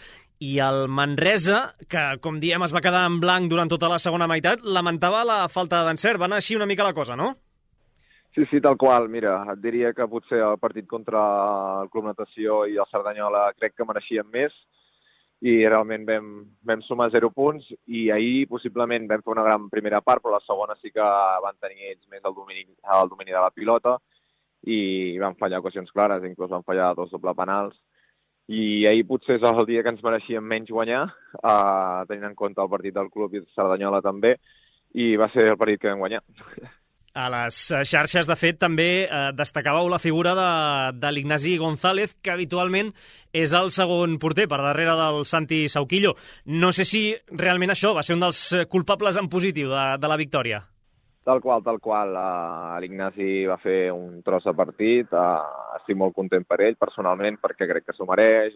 i el Manresa, que com diem es va quedar en blanc durant tota la segona meitat, lamentava la falta d'encert. Va anar així una mica la cosa, no? Sí, tal qual. Mira, et diria que potser el partit contra el Club Natació i el Cerdanyola crec que mereixien més i realment vam sumar 0 punts i ahir possiblement vam fer una gran primera part, però la segona sí que van tenir ells més el domini de la pilota i van fallar ocasions clares, inclús van fallar 2 doble penals. I ahir potser és el dia que ens mereixíem menys guanyar, tenint en compte el partit del club i el Cerdanyola també, i va ser el partit que vam guanyar. A les xarxes, de fet, també destacàveu la figura de l'Ignasi González, que habitualment és el segon porter, per darrere del Santi Sauquillo. No sé si realment això va ser un dels culpables en positiu de la victòria. Tal qual. L'Ignasi va fer un tros de partit. Estic molt content per ell, personalment, perquè crec que s'ho mereix.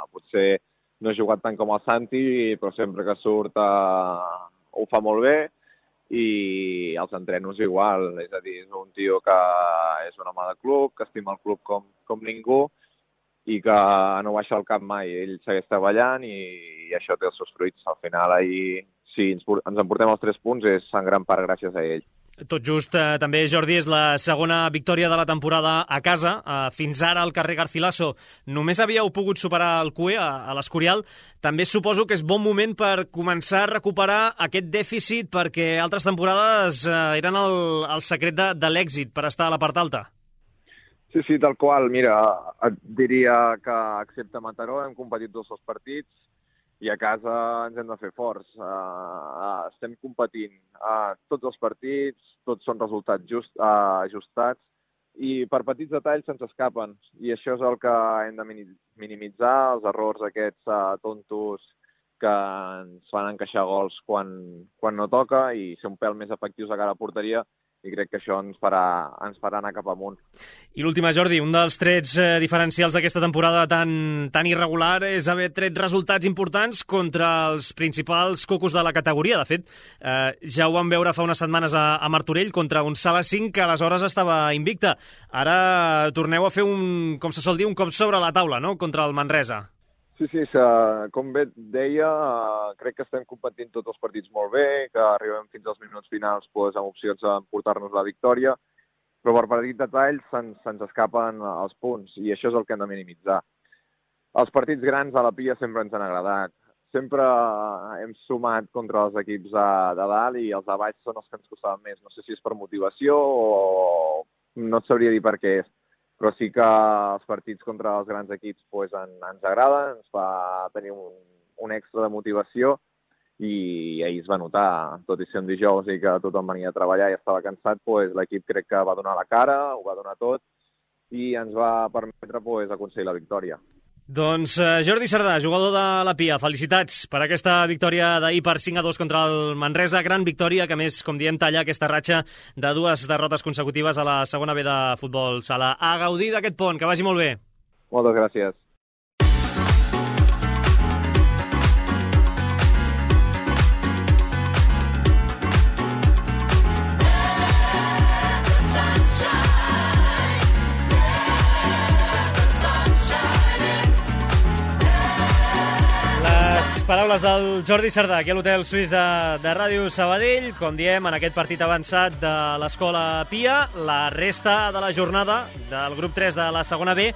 Potser no he jugat tant com el Santi, però sempre que surt ho fa molt bé. I els entrenos igual, és a dir, és un tio que és un home de club, que estima el club com ningú i que no baixa el cap mai. Ell segueix treballant i això té els seus fruits. Al final, ahir, si ens emportem els 3 punts, és en gran part gràcies a ell. Tot just, també, Jordi, és la segona victòria de la temporada a casa. Fins ara, al carrer Garcilaso, només havíeu pogut superar el CUE a l'Escorial. També suposo que és bon moment per començar a recuperar aquest dèficit, perquè altres temporades eren el secret de l'èxit per estar a la part alta. Sí, tal qual. Mira, et diria que, excepte Mataró, hem competit 2 partits, i a casa ens hem de fer forts. Estem competint tots els partits, tots són resultats ajustats, i per petits detalls se'ns escapen. I això és el que hem de minimitzar, els errors aquests tontos que ens fan encaixar gols quan no toca i ser un pèl més efectius a cara a porteria, i crec que això ens farà anar cap amunt. I l'última, Jordi, un dels trets diferencials d'aquesta temporada tan irregular és haver tret resultats importants contra els principals cocos de la categoria. De fet, ja ho vam veure fa unes setmanes a Martorell contra un Sala 5 que aleshores estava invicta. Ara torneu a fer com se sol dir, un cop sobre la taula, no?, contra el Manresa. Sí, com bé et deia, crec que estem competint tots els partits molt bé, que arribem fins als minuts finals amb opcions d'emportar-nos la victòria, però per petits detalls se'ns escapen els punts, i això és el que hem de minimitzar. Els partits grans a la Pia sempre ens han agradat. Sempre hem sumat contra els equips de dalt i els de baix són els que ens costaven més. No sé si és per motivació o no et sabria dir per què és. Però sí que els partits contra els grans equips ens agraden, ens fa tenir un extra de motivació i ahir es va notar, tot i ser un dijous i que tothom venia a treballar i estava cansat, l'equip crec que va donar la cara, ho va donar tot i ens va permetre aconseguir la victòria. Doncs Jordi Sardà, jugador de la Pia, felicitats per aquesta victòria d'ahir per 5-2 contra el Manresa. Gran victòria que, més, com diem, talla aquesta ratxa de 2 derrotes consecutives a la segona B de futbol sala. A gaudir d'aquest pont, que vagi molt bé. Moltes gràcies. Sunshine. Paraules del Jordi Cerdà, aquí a l'Hotel Suís de Ràdio Sabadell. Com diem, en aquest partit avançat de l'Escola Pia, la resta de la jornada del grup 3 de la segona B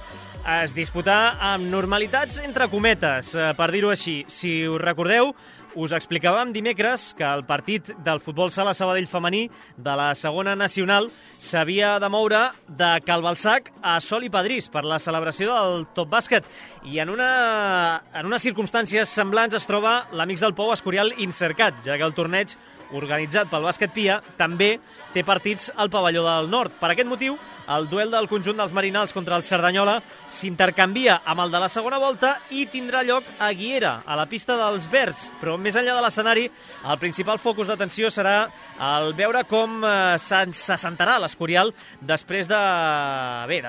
es disputà amb normalitats entre cometes, per dir-ho així. Si us recordeu, us explicàvem dimecres que el partit del futbol sala Sabadell femení de la segona nacional s'havia de moure de Calbalsac a Sol i Padrís per la celebració del Top Bàsquet. I en unes circumstàncies semblants es troba l'Amics del Pou Escorial Insercat, ja que el torneig organitzat pel Bàsquet Pia també té partits al pavelló del Nord. Per aquest motiu, el duel del conjunt dels Marinals contra el Cerdanyola s'intercanvia amb el de la segona volta i tindrà lloc a Guiera, a la pista dels Verds. Però més enllà de l'escenari, el principal focus d'atenció serà el veure com s'assentarà l'Escorial després de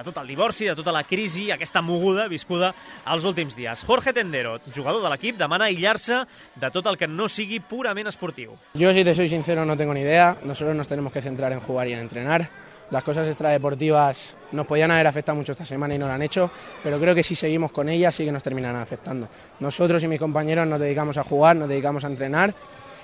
tot el divorci, de tota la crisi, aquesta moguda viscuda els últims dies. Jorge Tendero, jugador de l'equip, demana aïllar-se de tot el que no sigui purament esportiu. Yo, si te soy sincero, no tengo ni idea. Nosotros nos tenemos que centrar en jugar y en entrenar. Las cosas extradeportivas nos podían haber afectado mucho esta semana y no lo han hecho, pero creo que si seguimos con ellas sí que nos terminarán afectando. Nosotros y mis compañeros nos dedicamos a jugar, nos dedicamos a entrenar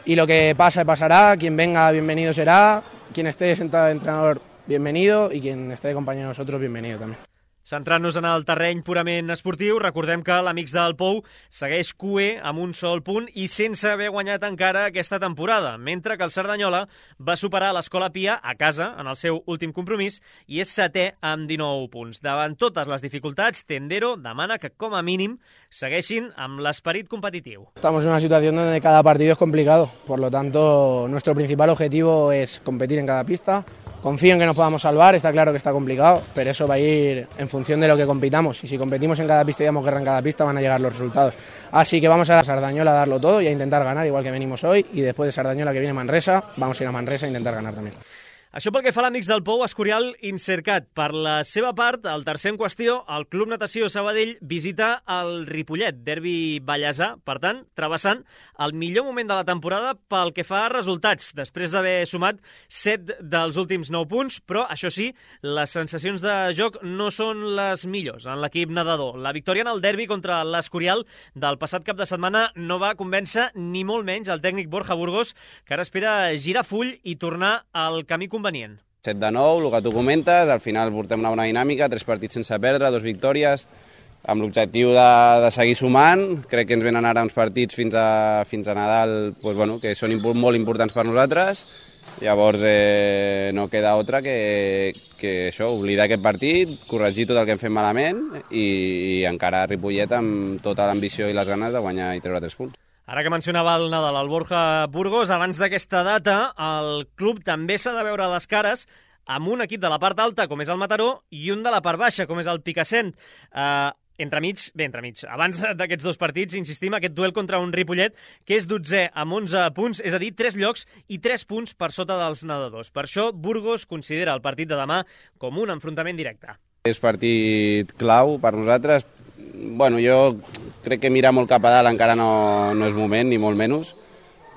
y lo que pasa pasará. Quien venga, bienvenido será. Quien esté sentado de entrenador, bienvenido, y quien esté de compañero de nosotros, bienvenido también. Centrant-nos en el terreny purament esportiu, recordem que l'Amics del Pou segueix cuer amb un sol punt i sense haver guanyat encara aquesta temporada, mentre que el Cerdanyola va superar l'Escola Pia a casa en el seu últim compromís i és setè amb 19 punts. Davant totes les dificultats, Tendero demana que com a mínim segueixin amb l'esperit competitiu. Estamos en una situación donde cada partido es complicado, por lo tanto nuestro principal objetivo es competir en cada pista. Confío en que nos podamos salvar, está claro que está complicado, pero eso va a ir en función de lo que compitamos. Y si competimos en cada pista y damos guerra en cada pista, van a llegar los resultados. Así que vamos a la Sardañola a darlo todo y a intentar ganar, igual que venimos hoy. Y después de Sardañola, que viene Manresa, vamos a ir a Manresa a intentar ganar también. Això pel que fa a l'Amics del Pou Escorial Insercat. Per la seva part, el tercer en qüestió, el Club Natació Sabadell visita el Ripollet, derbi ballesà, per tant, travessant el millor moment de la temporada pel que fa a resultats, després d'haver sumat 7 dels últims 9 punts, però, això sí, les sensacions de joc no són les millors en l'equip nedador. La victòria en el derbi contra l'Escorial del passat cap de setmana no va convèncer ni molt menys el tècnic Borja Burgos, que ara espera girar full i tornar al camí convenient. 7 de 9, el que tu comentes, al final portem una bona dinàmica, 3 partits sense perdre, 2 victòries, amb l'objectiu de seguir sumant. Crec que ens venen ara uns partits fins a Nadal que són molt importants per nosaltres. Llavors no queda altra que això, oblidar aquest partit, corregir tot el que hem fet malament i encara a Ripollet amb tota l'ambició i les ganes de guanyar i treure 3 punts. Ara que mencionava el Nadal, el Borja Burgos, abans d'aquesta data, el club també s'ha de veure les cares amb un equip de la part alta, com és el Mataró, i un de la part baixa, com és el Picassent. Entremig. Abans d'aquests dos partits, insistim, aquest duel contra un Ripollet, que és 12è amb 11 punts, és a dir, 3 llocs i 3 punts per sota dels nedadors. Per això, Burgos considera el partit de demà com un enfrontament directe. És partit clau per nosaltres. Jo crec que mirar molt cap a dalt encara no és moment, ni molt menys,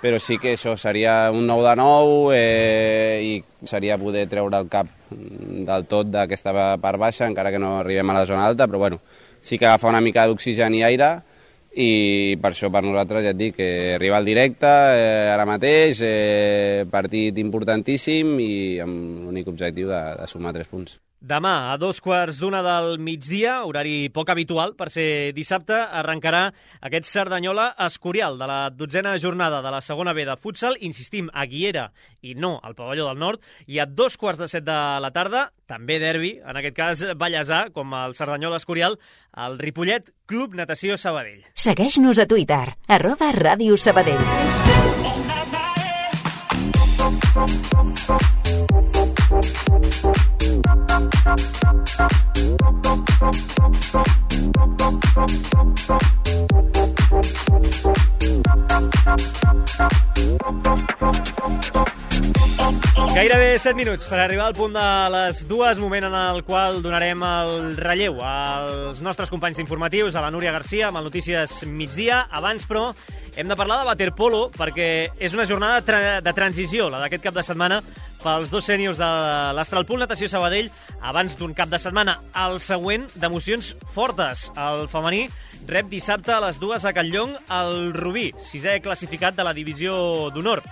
però sí que això seria un 9 de 9 i seria poder treure el cap del tot d'aquesta part baixa, encara que no arribem a la zona alta, però sí que agafa una mica d'oxigen i aire i per això per nosaltres ja et dic que arriba al directe ara mateix, partit importantíssim i amb l'únic objectiu de sumar 3 punts. Demà, a 2:15 del migdia, horari poc habitual per ser dissabte, arrencarà aquest Cerdanyola Escorial de la 12a jornada de la segona B de futsal, insistim, a Guiera i no al pavelló del Nord, i a 2:15 de la tarda, també derbi, en aquest cas ballesà, com el Cerdanyola Escorial, el Ripollet Club Natació Sabadell. Segueix-nos a Twitter, @Ràdio Sabadell. Gairebé 7 minuts per arribar al punt de les 2, moment en el qual donarem el relleu als nostres companys informatius, a la Núria Garcia, amb el Notícies Migdia. Abans, però, hem de parlar de waterpolo, perquè és una jornada de transició, la d'aquest cap de setmana, pels dos sèniors de l'Astralpool Natació Sabadell, abans d'un cap de setmana al següent d'emocions fortes. El femení rep dissabte a les 2 a Catlllong el Rubí, 6è classificat de la divisió d'honor.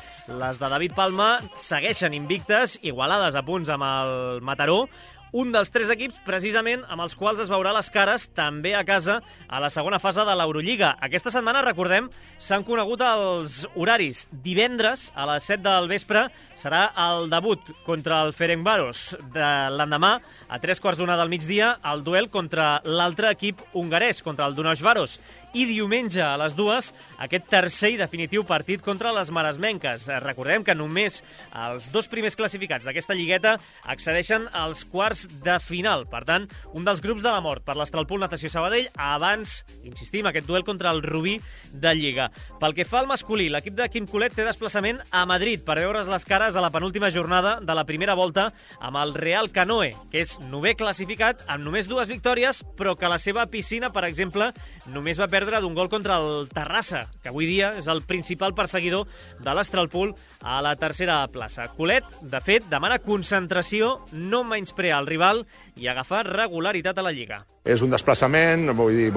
Les de David Palma segueixen invictes, igualades a punts amb el Mataró, un dels 3 equips precisament amb els quals es veurà les cares també a casa a la segona fase de l'Eurolliga. Aquesta setmana, recordem, s'han conegut els horaris. Divendres, a les 7 del vespre, serà el debut contra el Ferencváros. L'endemà, a 3:15 del migdia, el duel contra l'altre equip hongarès, contra el Dunausvaros. I diumenge, a les 2, aquest tercer i definitiu partit contra les maresmenques. Recordem que només els 2 primers classificats d'aquesta lligueta accedeixen als quarts de final. Per tant, un dels grups de la mort per l'Astralpool Natació Sabadell abans, insistim, aquest duel contra el Rubí de Lliga. Pel que fa al masculí, l'equip de Quim Colet té desplaçament a Madrid per veure's les cares a la penúltima jornada de la primera volta amb el Real Canoe, que és 9è classificat amb només 2 victòries, però que la seva piscina, per exemple, només va perdre d'un gol contra el Terrassa, que avui dia és el principal perseguidor de l'Astralpool a la tercera plaça. Colet, de fet, demana concentració, no menysprear el rival i agafar regularitat a la Lliga. És un desplaçament, vull dir,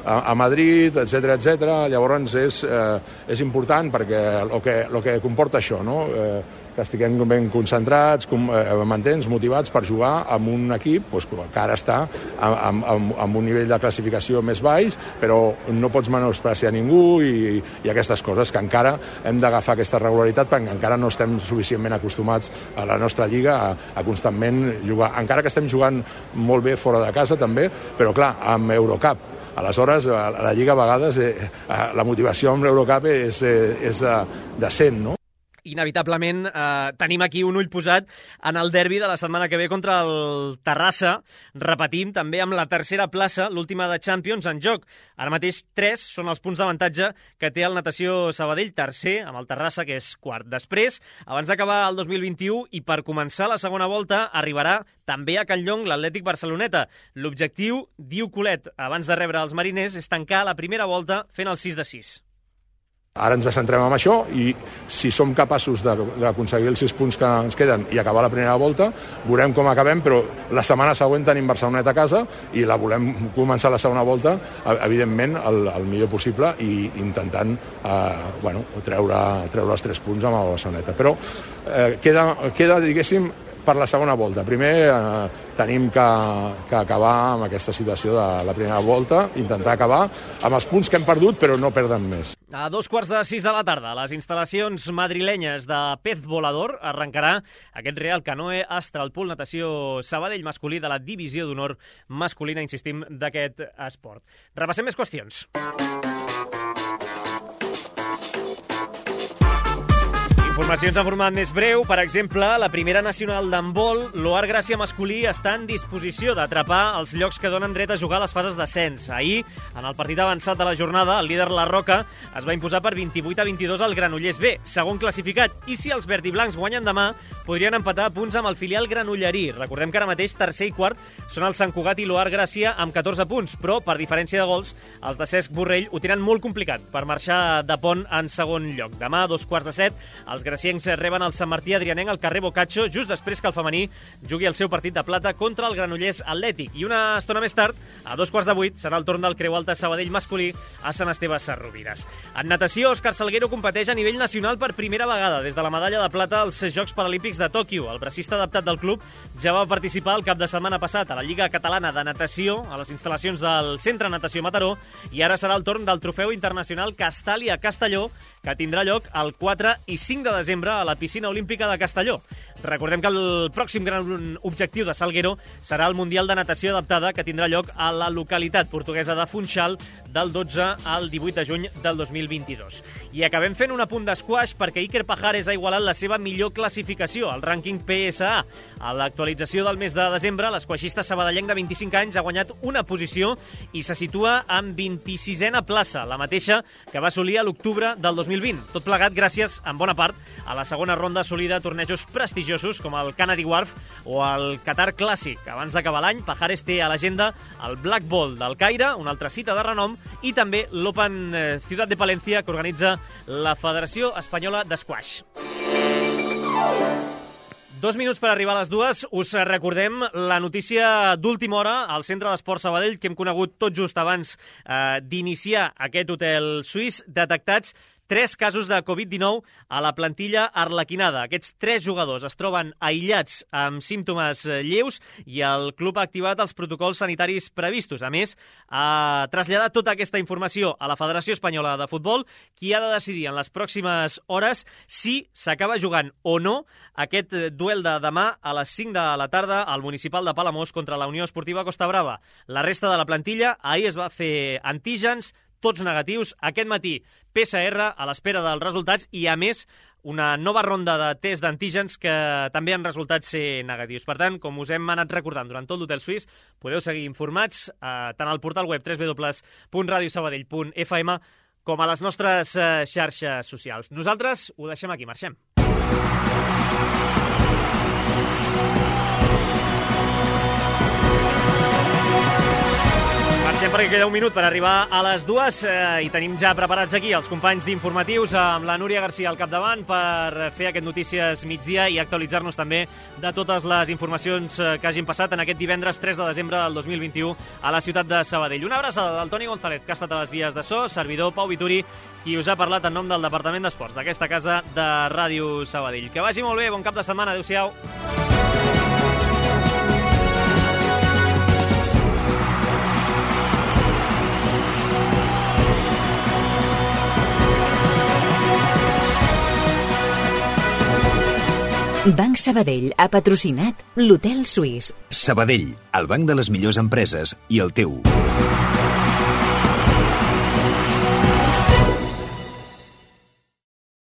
a Madrid, etc. Llavors és important perquè el que comporta això, no? Que estiguem ben concentrats, m'entens, motivats per jugar amb un equip que ara està amb un nivell de classificació més baix, però no pots menospreciar ningú i aquestes coses, que encara hem d'agafar aquesta regularitat perquè encara no estem suficientment acostumats a la nostra lliga a constantment jugar, encara que estem jugant molt bé fora de casa també, però clar, amb Eurocup. Aleshores, a la Lliga a vegades la motivació amb l'Eurocup és de 100, no? Inevitablement tenim aquí un ull posat en el derbi de la setmana que ve contra el Terrassa, repetint també amb la tercera plaça, l'última de Champions, en joc. Ara mateix 3 són els punts d'avantatge que té el Natació Sabadell, tercer, amb el Terrassa, que és quart. Després, abans d'acabar el 2021 i per començar la segona volta, arribarà també a Catlllong l'Atlètic Barceloneta. L'objectiu, diu Colet, abans de rebre els mariners, és tancar la primera volta fent el 6 de 6. Ara ens centrem en això i si som capaços d'aconseguir els 6 punts que ens queden i acabar la primera volta, veurem com acabem, però la setmana següent tenim Barcelonet a casa i la volem començar la segona volta, evidentment, el millor possible i intentant treure els 3 punts amb el Barceloneta. Però queda, diguéssim, per la segona volta. Primer tenim que acabar amb aquesta situació de la primera volta, intentar acabar amb els punts que hem perdut, però no perdem més. A 2:45 de la tarda, a les instal·lacions madrilenyes de Pez Volador arrencarà aquest Real Canoe Astralpool Natació Sabadell masculí de la divisió d'honor masculina, insistim, d'aquest esport. Repassem més qüestions. Informacions en format més breu. Per exemple, la primera nacional d'handbol, l'Oar Gràcia masculí, està en disposició d'atrapar els llocs que donen dret a jugar a les fases d'ascens. Ahir, en el partit avançat de la jornada, el líder La Roca es va imposar per 28-22 al Granollers B, segon classificat. I si els verd i blancs guanyen demà, podrien empatar a punts amb el filial granollerí. Recordem que ara mateix tercer i quart són el Sant Cugat i l'Oar Gràcia amb 14 punts, però per diferència de gols, els de Cesc Borrell ho tenen molt complicat per marxar de pont en segon lloc. Demà, a 2:15, els graciencs reben el Sant Martí Adrianenc al carrer Boccaccio, just després que el femení jugui el seu partit de plata contra el Granollers Atlètic. I una estona més tard, a 7:15, serà el torn del Creu Alta Sabadell masculí a Sant Esteve Sesrovires. En natació, Òscar Salguero competeix a nivell nacional per primera vegada des de la medalla de plata als Jocs Paralímpics de Tòquio. El bracista adaptat del club ja va participar el cap de setmana passat a la Lliga Catalana de Natació, a les instal·lacions del Centre Natació Mataró, i ara serà el torn del Trofeu Internacional Castàlia Castelló, que tindrà lloc el 4 i 5 de desembre a la piscina olímpica de Castelló. Recordem que el pròxim gran objectiu de Salguero serà el Mundial de Natació Adaptada, que tindrà lloc a la localitat portuguesa de Funchal del 12 al 18 de juny del 2022. I acabem fent un apunt d'esquaix perquè Iker Pajares ha igualat la seva millor classificació al rànquing PSA. A l'actualització del mes de desembre, l'esquaixista sabadellenc de 25 anys ha guanyat una posició i se situa en 26a plaça, la mateixa que va assolir a l'octubre del 2020. Tot plegat gràcies, en bona part, a la segona ronda assolida a tornejos prestigiosos com el Canary Wharf o el Qatar Clàssic. Abans d'acabar l'any, Pajares té a l'agenda el Black Ball del Caire, una altra cita de renom, i també l'Open Ciutat de Palencia, que organitza la Federació Espanyola d'Esquaix. 2 minuts per arribar a les 2. Us recordem la notícia d'última hora al Centre d'Esports Sabadell que hem conegut tot just abans d'iniciar aquest hotel suís. Detectats 3 casos de Covid-19 a la plantilla arlequinada. Aquests 3 jugadors es troben aïllats amb símptomes lleus i el club ha activat els protocols sanitaris previstos. A més, ha traslladat tota aquesta informació a la Federació Espanyola de Futbol, qui ha de decidir en les pròximes hores si s'acaba jugant o no aquest duel de demà a les 5 de la tarda al municipal de Palamós contra la Unió Esportiva Costa Brava. La resta de la plantilla ahir es va fer antígens, tots negatius. Aquest matí PCR a l'espera dels resultats i, a més, una nova ronda de test d'antígens que també han resultat ser negatius. Per tant, com us hem anat recordant durant tot l'Hotel Suís, podeu seguir informats tant al portal web www.radiosabadell.fm com a les nostres xarxes socials. Nosaltres ho deixem aquí, marxem. Marxem perquè queda un minut per arribar a les 2 i tenim ja preparats aquí els companys d'informatius amb la Núria Garcia al capdavant per fer aquest Notícies Migdia i actualitzar-nos també de totes les informacions que hagin passat en aquest divendres 3 de desembre del 2021 a la ciutat de Sabadell. Una abraçada del Toni González, que ha estat a les vies de so, servidor Pau Vituri, qui us ha parlat en nom del Departament d'Esports d'aquesta casa de Ràdio Sabadell. Que vagi molt bé, bon cap de setmana, adéu-siau. Banc Sabadell ha patrocinat l'Hotel Suís. Sabadell, el banc de les millors empreses i el teu.